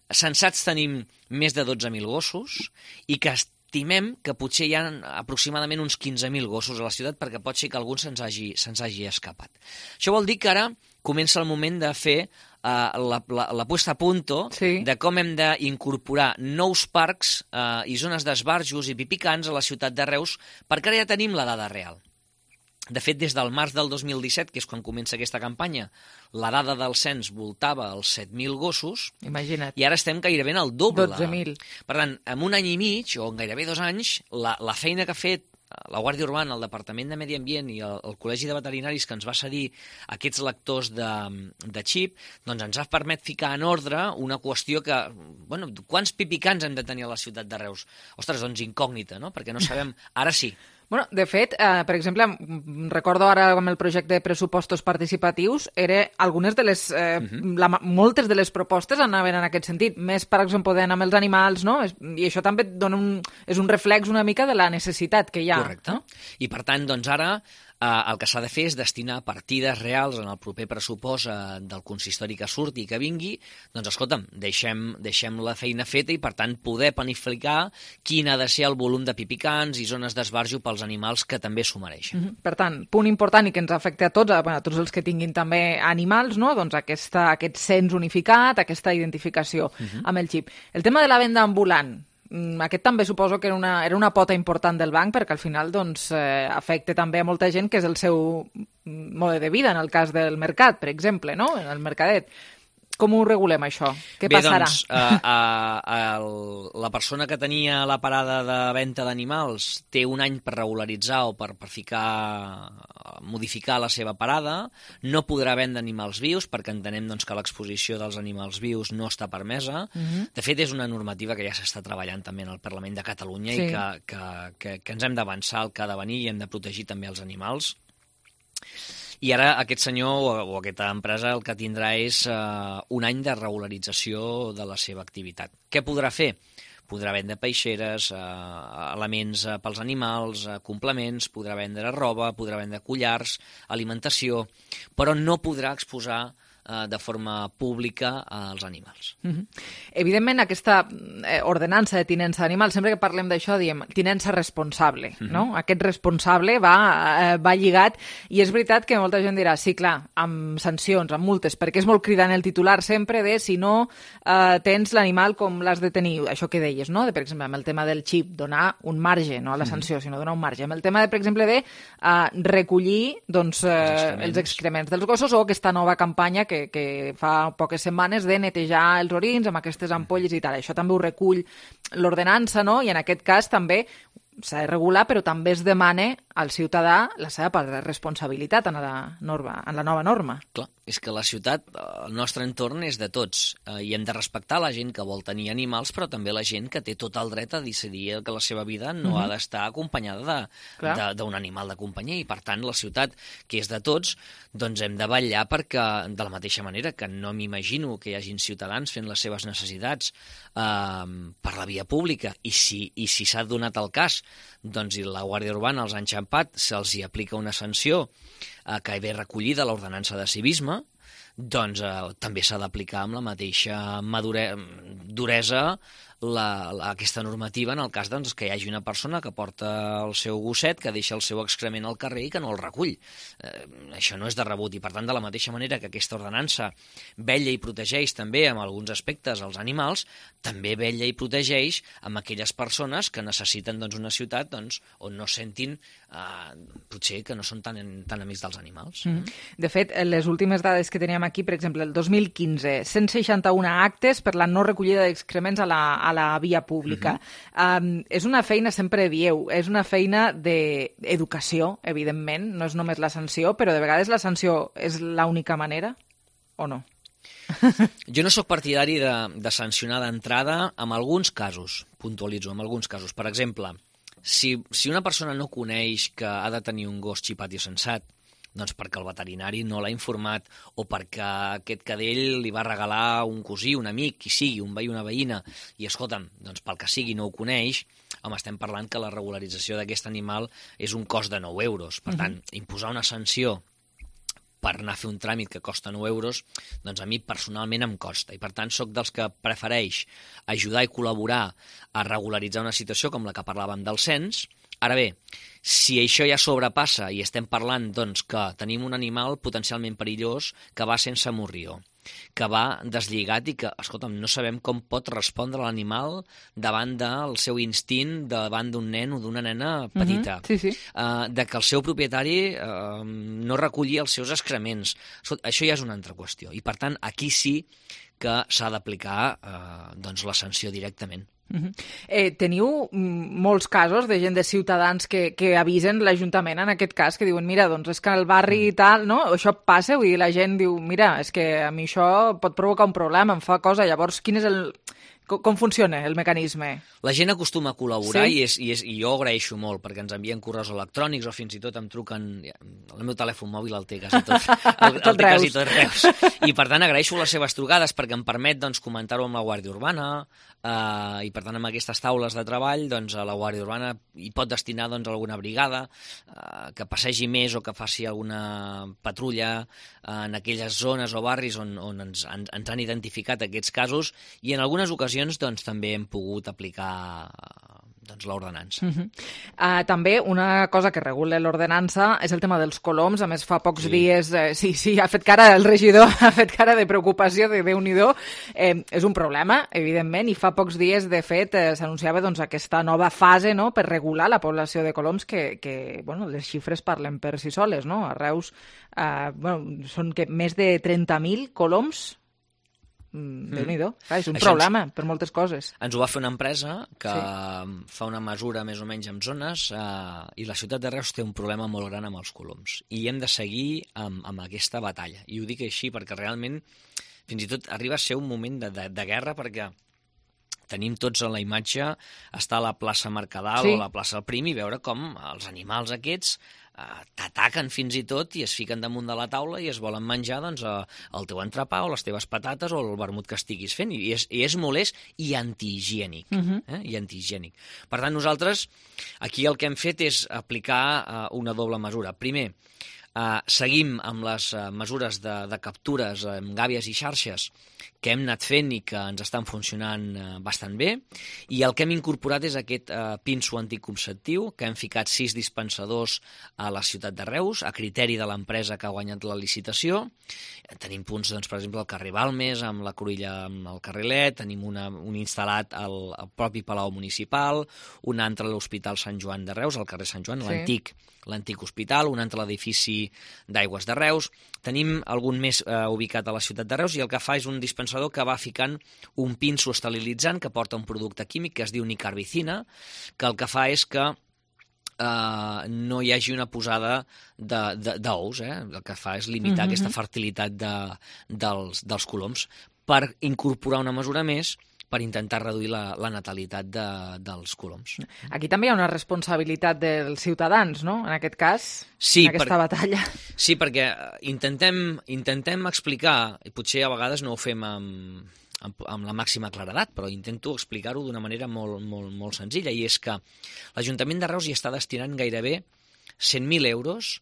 censats tenim més de dotze mil gossos i que estimem que potser hi ha aproximadament uns quinze mil gossos a la ciutat perquè pot ser que algun se'ns hagi, se'ns hagi escapat. Això vol dir que ara comença el moment de fer Uh, la, la, la puesta a punto sí. de com hem d'incorporar nous parcs uh, i zones d'esbarjos i pipicans a la ciutat de Reus, perquè ara ja tenim la dada real. De fet, des del març del dos mil disset, que és quan comença aquesta campanya, la dada del cens voltava als set mil gossos. Imagina't. I ara estem gairebé en el doble. dotze mil. Per tant, en un any i mig, o en gairebé dos anys, la, la feina que ha fet la Guàrdia Urbana, el Departament de Medi Ambient i el, el Col·legi de Veterinaris que ens va cedir aquests lectors de, de xip, doncs ens ha permet ficar en ordre una qüestió que, bueno, quants pipicans hem de tenir a la ciutat de Reus? Ostres, doncs incògnita, no? Perquè no sabem... Ara sí. Bueno, de fet, eh, per exemple, recordo ara amb el projecte de pressupostos participatius, era algunes de les, eh, uh-huh. la, moltes de les propostes anaven en aquest sentit, més, per exemple, d'anar amb els animals, no? I això també dona un, és un reflex una mica de la necessitat que hi ha. Correcte. No? I, per tant, doncs ara eh, el que s'ha de fer és destinar partides reals en el proper pressupost eh, del consistori que surti i que vingui, doncs, escolta'm, deixem, deixem la feina feta i, per tant, poder planificar quin ha de ser el volum de pipicans i zones d'esbarjo pels animals que també s'ho mereixen. Mm-hmm. Per tant, punt important i que ens afecta a tots, a, a tots els que tinguin també animals, no? Doncs aquesta, aquest cens unificat, aquesta identificació mm-hmm. amb el xip. El tema de la venda ambulant, aquest també suposo que era una, era una pota important del banc perquè al final doncs, eh, afecta també a molta gent que és el seu mode de vida, en el cas del mercat, per exemple, no? En el mercadet. Com ho regulem, això? Què Bé, passarà? Doncs, a, a, a, la persona que tenia la parada de venda d'animals té un any per regularitzar o per, per ficar, modificar la seva parada, no podrà vendre animals vius perquè entenem doncs, que l'exposició dels animals vius no està permesa. Uh-huh. De fet, és una normativa que ja s'està treballant també en el Parlament de Catalunya sí. i que, que, que, que ens hem d'avançar al que ha de venir i hem de protegir també els animals. I ara aquest senyor o, o aquesta empresa el que tindrà és uh, un any de regularització de la seva activitat. Què podrà fer? Podrà vendre peixeres, uh, elements uh, pels animals, uh, complements, podrà vendre roba, podrà vendre collars, alimentació, però no podrà exposar uh, de forma pública als animals. Mm-hmm. Evidentment, aquesta eh, ordenança de tinença d'animals, sempre que parlem d'això, diem tinença responsable, mm-hmm. no? Aquest responsable va, eh, va lligat, i és veritat que molta gent dirà, sí, clar, amb sancions, amb multes, perquè és molt cridant el titular sempre de si no eh, tens l'animal com l'has de tenir, això que deies, no? De, per exemple, amb el tema del xip, donar un marge, no a la sanció, mm-hmm. sinó donar un marge. Amb el tema, de, per exemple, de eh, recollir doncs, eh, els, excrements. els excrements dels gossos, o aquesta nova campanya que, que fa poques setmanes de netejar els orins amb aquestes ampolles i tal. Això també ho recull l'ordenança, no? I en aquest cas també s'ha de regular, però també es demana al ciutadà la seva part de responsabilitat en la, norma, en la nova norma. Clar, és que la ciutat, el nostre entorn és de tots, eh, i hem de respectar la gent que vol tenir animals, però també la gent que té tot el dret a decidir que la seva vida no uh-huh. ha d'estar acompanyada d'un animal de companyia, i per tant la ciutat, que és de tots, doncs hem de vetllar perquè, de la mateixa manera que no m'imagino que hi hagin ciutadans fent les seves necessitats eh, per la via pública, i si i si s'ha donat el cas, doncs i la Guàrdia Urbana els ha enxampat, se'ls hi aplica una sanció eh, que ve recollida a l'ordenança de civisme, doncs eh, també s'ha d'aplicar amb la mateixa madure... duresa la, la, aquesta normativa en el cas doncs, que hi hagi una persona que porta el seu gosset, que deixa el seu excrement al carrer i que no el recull. Eh, això no és de rebut, i per tant, de la mateixa manera que aquesta ordenança vetlla i protegeix també amb alguns aspectes els animals, també vetlla i protegeix amb aquelles persones que necessiten doncs, una ciutat doncs, on no sentin eh, potser que no són tan, tan amics dels animals. Mm-hmm. De fet, les últimes dades que teníem aquí, per exemple, el dos mil quinze, cent seixanta-un actes per la no recollida d'excrements a la, a la via pública. Uh-huh. Um, és una feina, sempre dieu, és una feina d'educació, evidentment, no és només la sanció, però de vegades la sanció és l'única manera, o no? Jo no sóc partidari de, de sancionar d'entrada en alguns casos, puntualitzo, en alguns casos. Per exemple, si, si una persona no coneix que ha de tenir un gos xipat i sensat, doncs perquè el veterinari no l'ha informat, o perquè aquest cadell li va regalar un cosí, un amic, qui sigui, un veí, una veïna, i escolta'm, doncs pel que sigui no ho coneix, home, estem parlant que la regularització d'aquest animal és un cost de nou euros. Per tant, uh-huh. imposar una sanció per anar a fer un tràmit que costa nou euros, doncs a mi personalment em costa. I per tant sóc dels que prefereix ajudar i col·laborar a regularitzar una situació com la que parlàvem del cens. Ara bé, si això ja sobrepassa i estem parlant doncs, que tenim un animal potencialment perillós que va sense morrió, que va deslligat i que, escolta'm, no sabem com pot respondre l'animal davant del seu instint, davant d'un nen o d'una nena petita. Uh-huh. Sí, sí. Uh, de que el seu propietari uh, no recollia els seus excrements. Escolta, això ja és una altra qüestió. I, per tant, aquí sí que s'ha d'aplicar uh, doncs, la sanció directament. Uh-huh. Eh, teniu molts casos de gent, de ciutadans que, que avisen l'Ajuntament en aquest cas, que diuen, mira, doncs és que al barri i tal, no? Això passa, vull dir, la gent diu, mira, és que a mi això pot provocar un problema, em fa cosa, llavors quin és el... Com funciona el mecanisme? La gent acostuma a col·laborar, sí? i, és, i, és, i jo agraeixo molt, perquè ens envien correus electrònics o fins i tot em truquen... El meu telèfon mòbil el té quasi tot, el, el té quasi tot Reus. I per tant agraeixo les seves trucades perquè em permet doncs, comentar-ho amb la Guàrdia Urbana, eh, i per tant amb aquestes taules de treball doncs, a la Guàrdia Urbana hi pot destinar doncs, alguna brigada eh, que passegi més o que faci alguna patrulla eh, en aquelles zones o barris on, on ens, ens, ens han identificat aquests casos, i en algunes ocasions doncs, també hem pogut aplicar doncs, l'ordenança. Uh-huh. uh, també una cosa que regula l'ordenança és el tema dels coloms. A més, fa pocs sí. dies, eh, sí, sí, ha fet cara el regidor, ha fet cara de preocupació, de Déu-n'hi-do. Eh, és un problema, evidentment, i fa pocs dies, de fet, eh, s'anunciava doncs, aquesta nova fase, no?, per regular la població de coloms, que, que bueno, les xifres parlen per si soles, no? A Reus eh, bueno, són que més de trenta mil coloms. Mm, Déu-n'hi-do. Clar, és un Això problema ens, per moltes coses. Ens ho va fer una empresa que sí. fa una mesura més o menys en zones eh, i la ciutat de Reus té un problema molt gran amb els coloms. I hem de seguir amb, amb aquesta batalla. I ho dic així perquè realment fins i tot arriba a ser un moment de, de, de guerra, perquè tenim tots a la imatge estar a la plaça Mercadal sí. o a la plaça del Prim i veure com els animals aquests eh, t'ataquen fins i tot i es fiquen damunt de la taula i es volen menjar doncs, el teu entrepà o les teves patates o el vermut que estiguis fent. I és, i és molest i antihigiènic. Uh-huh. eh? I antihigiènic. Per tant, nosaltres aquí el que hem fet és aplicar eh, una doble mesura. Primer, Uh, seguim amb les uh, mesures de, de captures amb gàbies i xarxes que hem anat fent i que ens estan funcionant uh, bastant bé, i el que hem incorporat és aquest uh, pinso anticonceptiu, que hem ficat sis dispensadors a la ciutat de Reus, a criteri de l'empresa que ha guanyat la licitació. Tenim punts, doncs, per exemple, al carrer Balmes, amb la Cruïlla, amb el Carrilet, tenim una, un instal·lat al, al propi Palau Municipal, un altre a l'Hospital Sant Joan de Reus, al carrer Sant Joan, sí. l'antic l'antic hospital, un altre a l'edifici Consorci d'Aigües de Reus. Tenim algun més eh, ubicat a la ciutat de Reus i el que fa és un dispensador que va ficant un pinso esterilitzant que porta un producte químic que es diu nicarbicina, que el que fa és que Uh, no hi hagi una posada d'ous, eh? El que fa és limitar uh-huh. aquesta fertilitat de, dels, dels coloms per incorporar una mesura més per intentar reduir la, la natalitat de, dels coloms. Aquí també hi ha una responsabilitat dels ciutadans, no?, en aquest cas, sí, en aquesta per, batalla. Sí, perquè intentem, intentem explicar, i potser a vegades no ho fem amb... amb, amb la màxima claredat, però intento explicar-ho d'una manera molt, molt, molt senzilla, i és que l'Ajuntament de Reus hi està destinant gairebé cent mil euros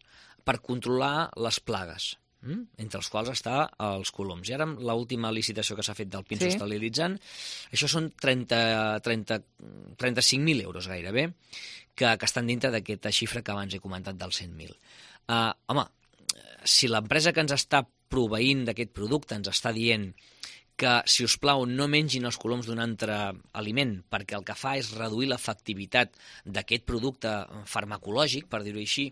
per controlar les plagues, hm? entre els quals està els coloms. I ara, amb l'última licitació que s'ha fet del pinso sí. esterilitzant, això són trenta, trenta, trenta-cinc mil euros gairebé, que, que estan dintre d'aquesta xifra que abans he comentat dels cent mil. Uh, home, si l'empresa que ens està proveint d'aquest producte ens està dient que, si us plau, no mengin els coloms d'un altre aliment, perquè el que fa és reduir l'efectivitat d'aquest producte farmacològic, per dir-ho així,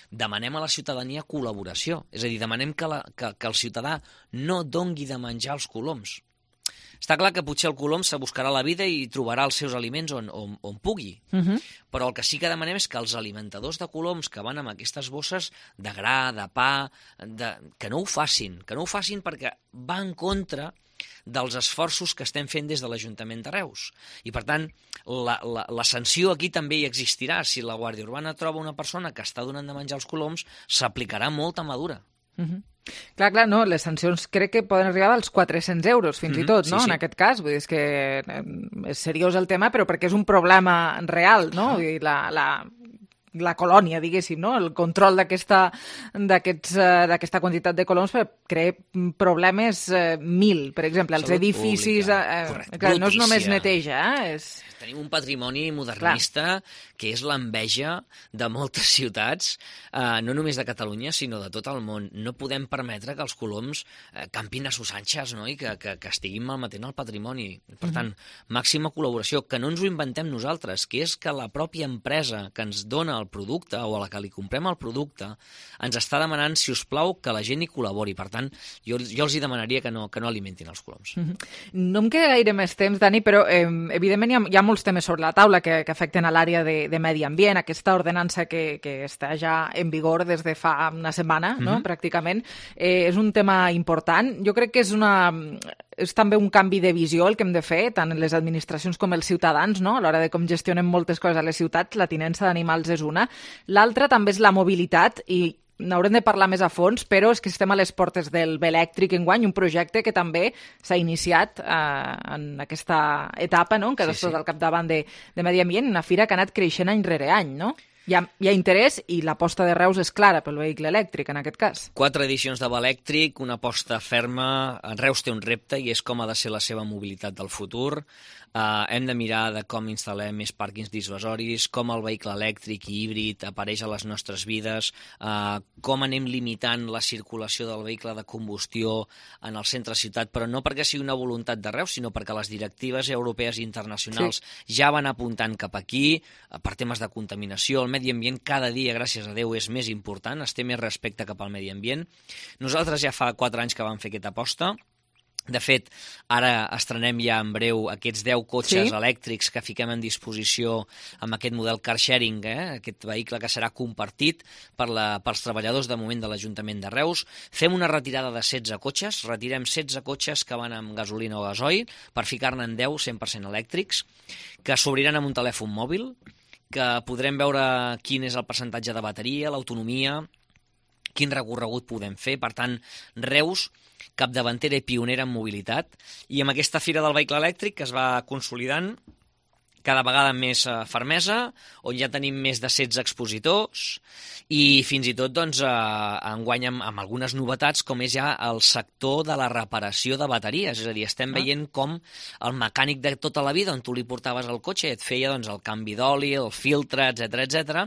demanem a la ciutadania col·laboració. És a dir, demanem que, la, que, que el ciutadà no dongui de menjar els coloms. Està clar que potser el colom se buscarà la vida i trobarà els seus aliments on, on, on pugui, uh-huh. però el que sí que demanem és que els alimentadors de coloms que van amb aquestes bosses de gra, de pa, de... que no ho facin, que no ho facin perquè va en contra dels esforços que estem fent des de l'Ajuntament de Reus. I, per tant, la, la, la sanció aquí també hi existirà. Si la Guàrdia Urbana troba una persona que està donant de menjar els coloms, s'aplicarà molta madura. Uh-huh. Clar, clar, no, les sancions crec que poden arribar als quatre-cents euros, fins mm-hmm, i tot, no?, sí, sí. en aquest cas. Vull dir, és que és seriós el tema, però perquè és un problema real, no? Vull dir, la... la... la colònia, diguéssim, no? El control d'aquesta d'aquests, uh, d'aquesta quantitat de coloms crea problemes uh, mil, per exemple, els Salut edificis... Uh, Correcte. Clar, no és només neteja, eh? És... Tenim un patrimoni modernista Clar. que és l'enveja de moltes ciutats, eh, no només de Catalunya, sinó de tot el món. No podem permetre que els coloms eh, campin a sus anxes, no? I que, que, que estiguin malmetent el patrimoni. Per tant, mm-hmm. màxima col·laboració, que no ens ho inventem nosaltres, que és que la pròpia empresa que ens dona el producte o a la que li comprem el producte ens està demanant, si us plau, que la gent hi col·labori. Per tant, jo, jo els hi demanaria que no, que no alimentin els coloms. Mm-hmm. No em queda gaire més temps, Dani, però eh, evidentment hi ha, hi ha molts temes sobre la taula que, que afecten a l'àrea de, de medi ambient, aquesta ordenança que, que està ja en vigor des de fa una setmana, no? Mm-hmm. pràcticament, eh, és un tema important. Jo crec que és, una, és també un canvi de visió el que hem de fer, tant les administracions com els ciutadans, no? A l'hora de com gestionem moltes coses a les ciutats, la tinença d'animals és una. L'altra també és la mobilitat, i n'haurem de parlar més a fons, però és que estem a les portes del Belèctric enguany, un projecte que també s'ha iniciat eh, en aquesta etapa, no?, que sí, estàs sí. al capdavant de, de Medi Ambient, una fira que ha anat creixent any rere any, no? Hi ha, hi ha interès i l'aposta de Reus és clara pel vehicle elèctric, en aquest cas. Quatre edicions de Belèctric, una aposta ferma. Reus té un repte i és com ha de ser la seva mobilitat del futur. Uh, hem de mirar de com instal·lem més pàrquings dissuasoris, com el vehicle elèctric i híbrid apareix a les nostres vides, uh, com anem limitant la circulació del vehicle de combustió en el centre ciutat, però no perquè sigui una voluntat de Reus, sinó perquè les directives europees i internacionals sí. ja van apuntant cap aquí, uh, per temes de contaminació. El medi ambient cada dia, gràcies a Déu, és més important, es té més respecte cap al medi ambient. Nosaltres ja fa quatre anys que vam fer aquesta aposta. De fet, ara estrenem ja en breu aquests deu cotxes sí. elèctrics que fiquem en disposició amb aquest model car sharing, eh? Aquest vehicle que serà compartit per la, pels treballadors de moment de l'Ajuntament de Reus. Fem una retirada de setze cotxes, retirem setze cotxes que van amb gasolina o gasoil per ficar-ne en deu cent per cent elèctrics, que s'obriran amb un telèfon mòbil, que podrem veure quin és el percentatge de bateria, l'autonomia, quin recorregut podem fer. Per tant, Reus, capdavantera i pionera en mobilitat, i amb aquesta Fira del Vehicle Elèctric que es va consolidant cada vegada amb més fermesa, on ja tenim més de setze expositors i fins i tot doncs, enguany amb, amb algunes novetats, com és ja el sector de la reparació de bateries. És a dir, estem ah. veient com el mecànic de tota la vida, on tu li portaves el cotxe i et feia doncs, el canvi d'oli, el filtre, etcètera, etcètera,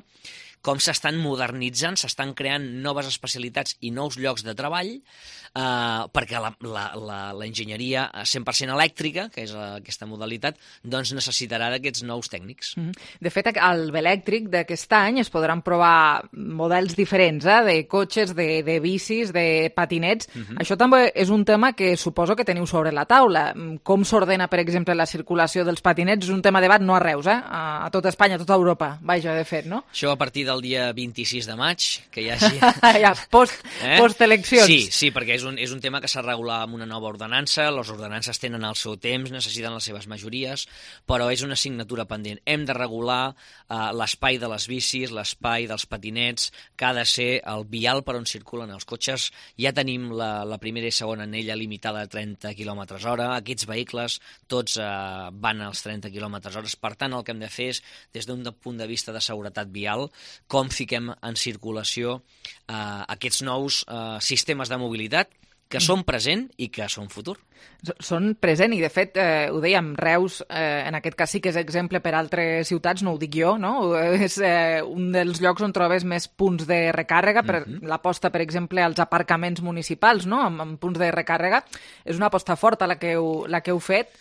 com s'estan modernitzant, s'estan creant noves especialitats i nous llocs de treball, eh, perquè la, la, la, la enginyeria cent per cent elèctrica, que és aquesta modalitat, doncs necessitarà d'aquests nous tècnics. De fet, al Belèctric d'aquest any es podran provar models diferents, eh, de cotxes, de, de bicis, de patinets. Uh-huh. Això també és un tema que suposo que teniu sobre la taula. Com s'ordena, per exemple, la circulació dels patinets? És un tema de debat no a Reus, eh? A, a tot Espanya, a tota Europa. Vaja, de fet, no? Això a partir del dia vint-i-sis de maig, que hi hagi... ja, post, eh? post-eleccions. Sí, sí, perquè és un, és un tema que s'ha regulat amb una nova ordenança, les ordenances tenen el seu temps, necessiten les seves majories, però és una assignatura pendent. Hem de regular eh, l'espai de les bicis, l'espai dels patinets, que ha de ser el vial per on circulen els cotxes. Ja tenim la, la primera i segona anella limitada a trenta quilòmetres hora. Aquests vehicles tots eh, van als trenta quilòmetres hora. Per tant, el que hem de fer és, des d'un punt de vista de seguretat vial, com fiquem en circulació eh, aquests nous eh, sistemes de mobilitat que són present i que són futur. Són present i, de fet, eh, ho dèiem, Reus, eh, en aquest cas sí que és exemple per altres ciutats, no ho dic jo, no? És eh, un dels llocs on trobes més punts de recàrrega, per uh-huh. l'aposta, per exemple, als aparcaments municipals, no? Amb, amb punts de recàrrega. És una aposta forta la que heu, la que heu fet.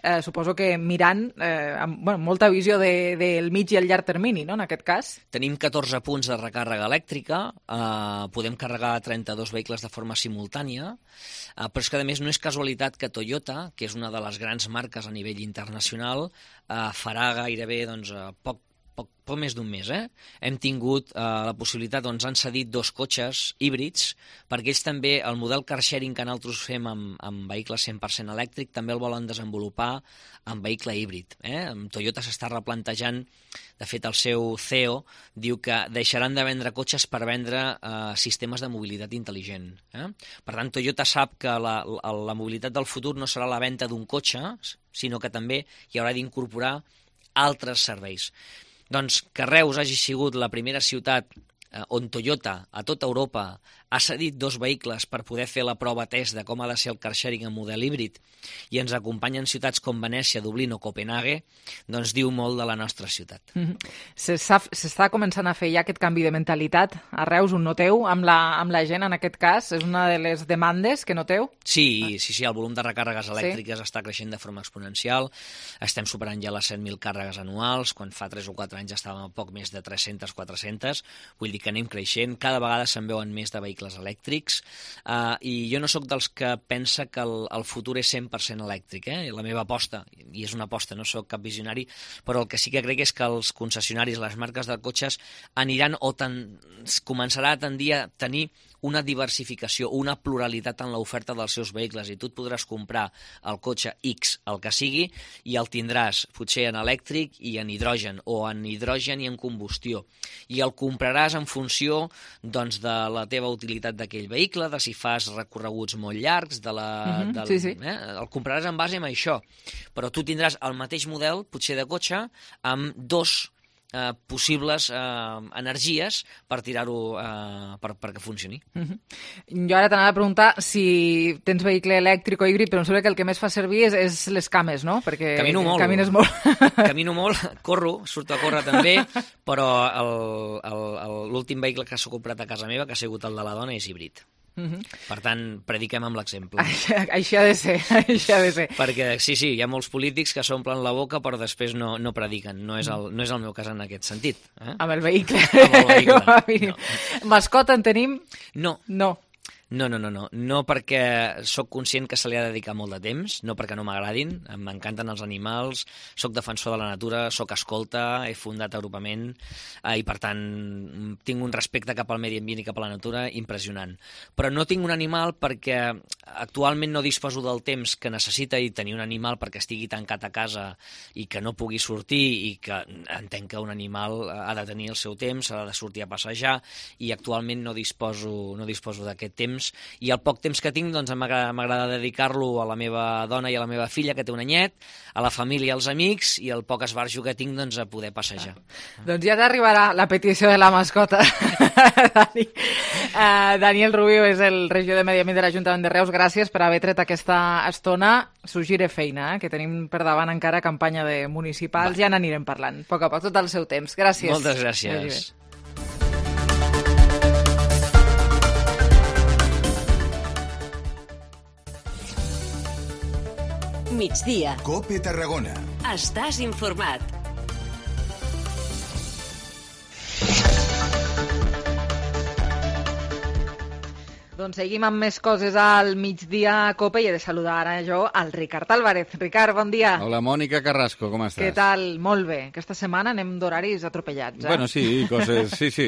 Eh, suposo que mirant eh, amb bueno, molta visió de, del mig i el llarg termini, no?, en aquest cas. Tenim catorze punts de recàrrega elèctrica, eh, podem carregar trenta-dos vehicles de forma simultània, eh, però és que, a més, no és casualitat que Toyota, que és una de les grans marques a nivell internacional, eh, farà gairebé doncs, poc Poc, poc més d'un mes, eh? Hem tingut eh, la possibilitat, doncs han cedit dos cotxes híbrids, perquè ells també, el model car sharing que nosaltres fem amb, amb vehicles cent per cent elèctric, també el volen desenvolupar amb vehicle híbrid. Eh? Toyota s'està replantejant, de fet el seu C E O diu que deixaran de vendre cotxes per vendre eh, sistemes de mobilitat intel·ligent. Eh? Per tant, Toyota sap que la, la, la mobilitat del futur no serà la venda d'un cotxe, sinó que també hi haurà d'incorporar altres serveis. Doncs que Reus hagi sigut la primera ciutat eh, on Toyota, a tota Europa, ha cedit dos vehicles per poder fer la prova test de com ha de ser el car sharing en model híbrid i ens acompanyen ciutats com Venècia, Dublín o Copenhague, doncs diu molt de la nostra ciutat. Mm-hmm. S'està començant a fer ja aquest canvi de mentalitat a Reus, un noteu, amb la, amb la gent en aquest cas? És una de les demandes que noteu? Sí, sí, sí, el volum de recàrregues elèctriques sí. està creixent de forma exponencial, estem superant ja les set mil càrregues anuals, quan fa tres o quatre anys estàvem a poc més de tres-centes quatre-centes, vull dir que anem creixent, cada vegada se'n veuen més de vehicles elèctrics, uh, i jo no sóc dels que pensa que el, el futur és cent per cent elèctric, eh? La meva aposta, i és una aposta, no sóc cap visionari, però el que sí que crec és que els concessionaris, les marques de cotxes, aniran o ten, començarà a tendir a tenir una diversificació, una pluralitat en l'oferta dels seus vehicles, i tu et podràs comprar el cotxe X, el que sigui, i el tindràs potser en elèctric i en hidrogen, o en hidrogen i en combustió, i el compraràs en funció doncs, de la teva utilitat d'aquell vehicle, de si fas recorreguts molt llargs, de la, uh-huh, del, sí, sí. Eh? El compraràs en base a això, però tu tindràs el mateix model, potser de cotxe, amb dos Eh, possibles eh, energies per tirar-ho eh, per, perquè funcioni. Uh-huh. Jo ara t'anava a preguntar si tens vehicle elèctric o híbrid, però em sembla que el que més fa servir és, és les cames, no? Perquè camino molt. Camines molt. Camino molt, corro, surto a córrer també, però l'últim vehicle que s'ha comprat a casa meva, que ha sigut el de la dona, és híbrid. Uh-huh. Per tant, prediquem amb l'exemple. Això, això ha de ser, això ha de ser. Perquè sí, sí, hi ha molts polítics que s'omplen la boca però després no, no prediquen. No és, el, no és el meu cas en aquest sentit. Eh? Amb el vehicle. Amb el vehicle. No. Mascota en tenim? No. No. No, no, no, no. No perquè sóc conscient que se li ha de dedicar molt de temps, no perquè no m'agradin, m'encanten els animals, sóc defensor de la natura, sóc escolta, he fundat agrupament eh, i per tant tinc un respecte cap al medi ambient i cap a la natura impressionant. Però no tinc un animal perquè actualment no disposo del temps que necessita i tenir un animal perquè estigui tancat a casa i que no pugui sortir i que entenc que un animal ha de tenir el seu temps, ha de sortir a passejar i actualment no disposo, no disposo d'aquest temps i el poc temps que tinc doncs, m'agrada dedicar-lo a la meva dona i a la meva filla, que té un anyet, a la família i als amics, i el poc esbarjo que tinc doncs, a poder passejar. Ah. Doncs ja t'arribarà la petició de la mascota. Dani. Uh, Daniel Rubio és el regidor de Medi Ambient de l'Ajuntament de Reus. Gràcies per haver tret aquesta estona. S'ho gire feina, eh? Que tenim per davant encara campanya de municipals. Va. Ja n'anirem parlant, a poc a poc, tot el seu temps. Gràcies. Moltes gràcies. Migdia. COPE Tarragona. Estàs informat. Doncs seguim amb més coses al migdia a COPE i he de saludar ara jo al Ricard Álvarez. Ricard, bon dia. Hola, Mònica Carrasco, com estàs? Què tal? Molt bé. Aquesta setmana anem d'horaris atropellats, eh? Bueno, sí, coses... Sí, sí,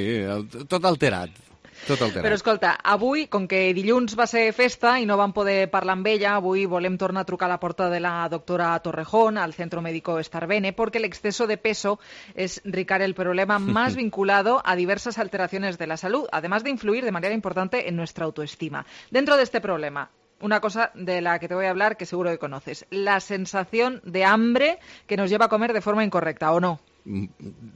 tot alterat. Tot alterat. Però escolta, avui, com que dilluns va ser festa i no vam poder parlar amb ella, avui volem tornar a trucar a la porta de la doctora Torrejón, al Centro Médico Starbene, porque el exceso de peso es, Ricard, el problema más vinculado a diversas alteraciones de la salud, además de influir de manera importante en nuestra autoestima. Dentro de este problema, una cosa de la que te voy a hablar que seguro que conoces, la sensación de hambre que nos lleva a comer de forma incorrecta, ¿o no?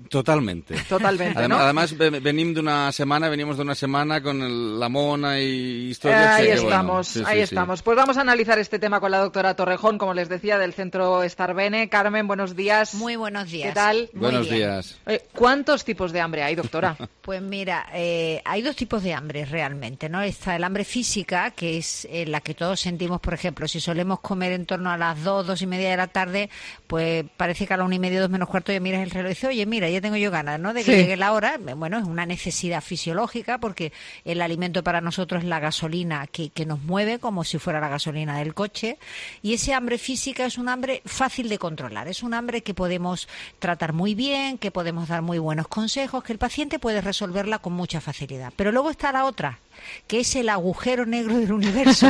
Totalmente. Totalmente, además, ¿no? Además, venimos de una semana, venimos de una semana con el, la mona y historias. Ahí que, estamos, bueno, sí, ahí sí, estamos. Sí. Pues vamos a analizar este tema con la doctora Torrejón, como les decía, del Centro Starbene. Carmen, buenos días. Muy buenos días. ¿Qué tal? Muy buenos bien. días. Eh, ¿Cuántos tipos de hambre hay, doctora? Pues mira, eh, hay dos tipos de hambre realmente, ¿no? Está el hambre física, que es eh, la que todos sentimos, por ejemplo, si solemos comer en torno a las dos, dos y media de la tarde, pues parece que a la una y media, dos menos cuarto, ya miras el reloj y dices, oye, mira, ya tengo yo ganas, ¿no? De que Sí. llegue la hora. Bueno, es una necesidad fisiológica porque el alimento para nosotros es la gasolina que, que nos mueve como si fuera la gasolina del coche, y ese hambre física es un hambre fácil de controlar, es un hambre que podemos tratar muy bien, que podemos dar muy buenos consejos, que el paciente puede resolverla con mucha facilidad. Pero luego está la otra, que es el agujero negro del universo,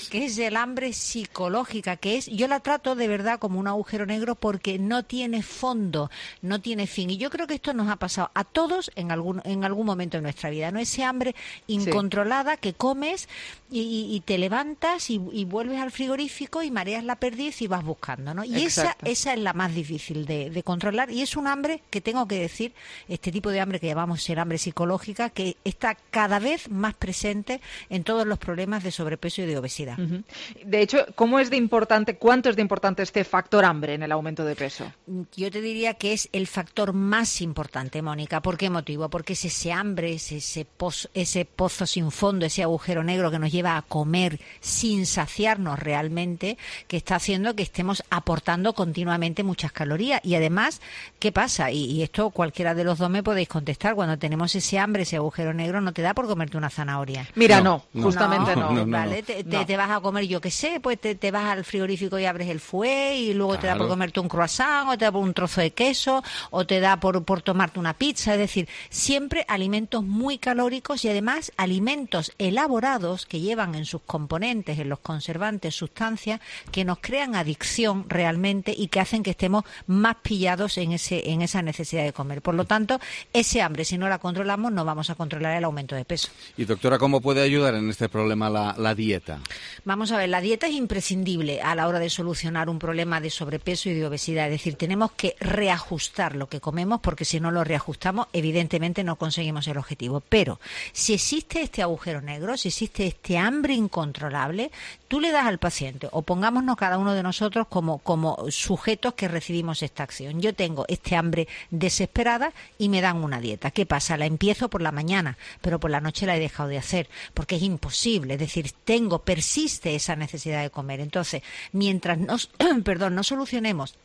que es el hambre psicológica, que es, yo la trato de verdad como un agujero negro porque no tiene fondo, no tiene fin. Y yo creo que esto nos ha pasado a todos en algún en algún momento de nuestra vida, ¿no? Ese hambre incontrolada que comes y, y, y te levantas y, y vuelves al frigorífico y mareas la perdiz y vas buscando, ¿no? Y esa, esa es la más difícil de, de controlar, y es un hambre que tengo que decir, este tipo de hambre que llamamos el hambre psicológica, que está cada vez más presente en todos los problemas de sobrepeso y de obesidad. Uh-huh. De hecho, ¿cómo es de importante, cuánto es de importante este factor hambre en el aumento de peso? Yo te diría que es el factor más importante, Mónica. ¿Por qué motivo? Porque es ese hambre, es ese pozo, ese pozo sin fondo, ese agujero negro que nos lleva a comer sin saciarnos realmente, que está haciendo que estemos aportando continuamente muchas calorías. Y además, ¿qué pasa? Y, y esto cualquiera de los dos me podéis contestar. Cuando tenemos ese hambre, ese agujero negro, no te da por comerte una zanahoria. Mira, no, no justamente no. no, no ¿vale? Te, te, no. te vas a comer, yo qué sé, pues te, te vas al frigorífico y abres el fouet y luego claro. te da por comerte un croissant, o te da por un trozo de queso, o te da por, por tomarte una pizza. Es decir, siempre alimentos muy calóricos y además alimentos elaborados que llevan en sus componentes, en los conservantes, sustancias que nos crean adicción realmente y que hacen que estemos más pillados en ese en esa necesidad de comer. Por lo tanto, ese hambre, si no la controlamos, no vamos a controlar el aumento de peso. Y doctora, ¿cómo puede ayudar en este problema la, la dieta? Vamos a ver, la dieta es imprescindible a la hora de solucionar un problema de sobrepeso y de obesidad. Es decir, tenemos que reajustar lo que comemos, porque si no lo reajustamos, evidentemente no conseguimos el objetivo. Pero si existe este agujero negro, si existe este hambre incontrolable, tú le das al paciente, o pongámonos cada uno de nosotros como, como sujetos que recibimos esta acción. Yo tengo este hambre desesperada y me dan una dieta. ¿Qué pasa? La empiezo por la mañana, pero por la noche la he dejado de hacer, porque es imposible. Es decir, tengo, persiste esa necesidad de comer. Entonces, mientras nos, perdón, no solucionemos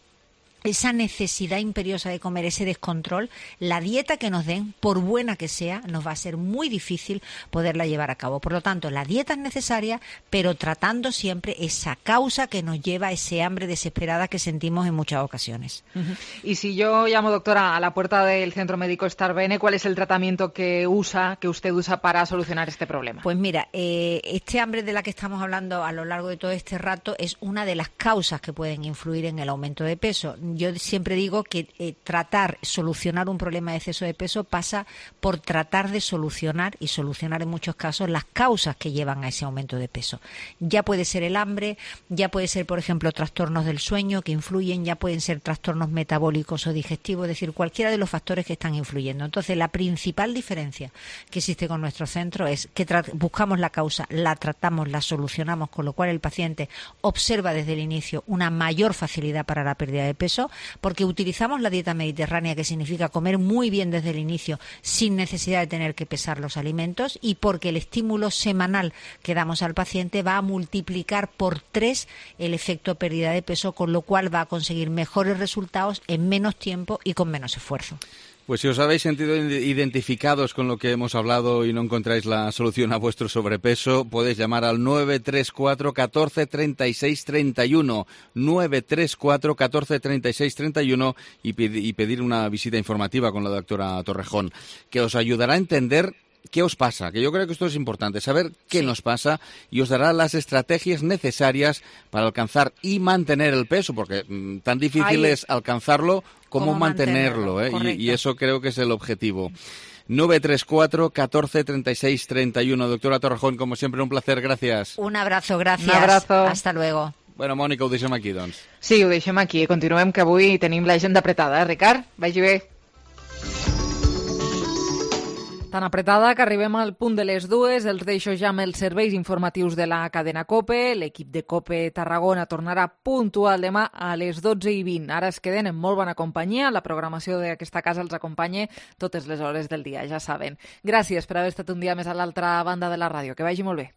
esa necesidad imperiosa de comer, ese descontrol, la dieta que nos den, por buena que sea, nos va a ser muy difícil poderla llevar a cabo. Por lo tanto, la dieta es necesaria, pero tratando siempre esa causa que nos lleva a ese hambre desesperada que sentimos en muchas ocasiones. Uh-huh. Y si yo llamo, doctora, a la puerta del Centro Médico Starbene, ¿cuál es el tratamiento que usa, que usted usa para solucionar este problema? Pues mira, eh, este hambre de la que estamos hablando a lo largo de todo este rato es una de las causas que pueden influir en el aumento de peso. Yo siempre digo que eh, tratar, solucionar un problema de exceso de peso pasa por tratar de solucionar, y solucionar en muchos casos, las causas que llevan a ese aumento de peso. Ya puede ser el hambre, ya puede ser, por ejemplo, trastornos del sueño que influyen, ya pueden ser trastornos metabólicos o digestivos, es decir, cualquiera de los factores que están influyendo. Entonces, la principal diferencia que existe con nuestro centro es que buscamos la causa, la tratamos, la solucionamos, con lo cual el paciente observa desde el inicio una mayor facilidad para la pérdida de peso. peso porque utilizamos la dieta mediterránea, que significa comer muy bien desde el inicio sin necesidad de tener que pesar los alimentos, y porque el estímulo semanal que damos al paciente va a multiplicar por tres el efecto pérdida de peso, con lo cual va a conseguir mejores resultados en menos tiempo y con menos esfuerzo. Pues si os habéis sentido identificados con lo que hemos hablado y no encontráis la solución a vuestro sobrepeso, podéis llamar al nueve tres cuatro, uno cuatro, tres seis tres uno, nueve tres cuatro, uno cuatro, tres seis tres uno y pedir una visita informativa con la doctora Torrejón, que os ayudará a entender qué os pasa, que yo creo que esto es importante, saber qué sí. nos pasa, y os dará las estrategias necesarias para alcanzar y mantener el peso, porque mmm, tan difícil Ay. es alcanzarlo como mantenerlo, mantenerlo ¿eh? y, y eso creo que es el objetivo. nueve tres cuatro, uno cuatro, tres seis tres uno. Doctora Torrejón, como siempre, un placer, gracias. Un abrazo, gracias. Un abrazo. Hasta luego. Bueno, Mònica, ho deixem aquí, doncs. Sí, ho deixem aquí. Continuem, que avui tenim l'agenda apretada, eh, Ricard? Vagi bé. Tan apretada que arribem al punt de les dues. Els deixo ja amb els serveis informatius de la cadena COPE. L'equip de COPE Tarragona tornarà puntual demà a les dotze i vint. Ara es queden en molt bona companyia. La programació d'aquesta casa els acompanya totes les hores del dia, ja saben. Gràcies per haver estat un dia més a l'altra banda de la ràdio. Que vagi molt bé.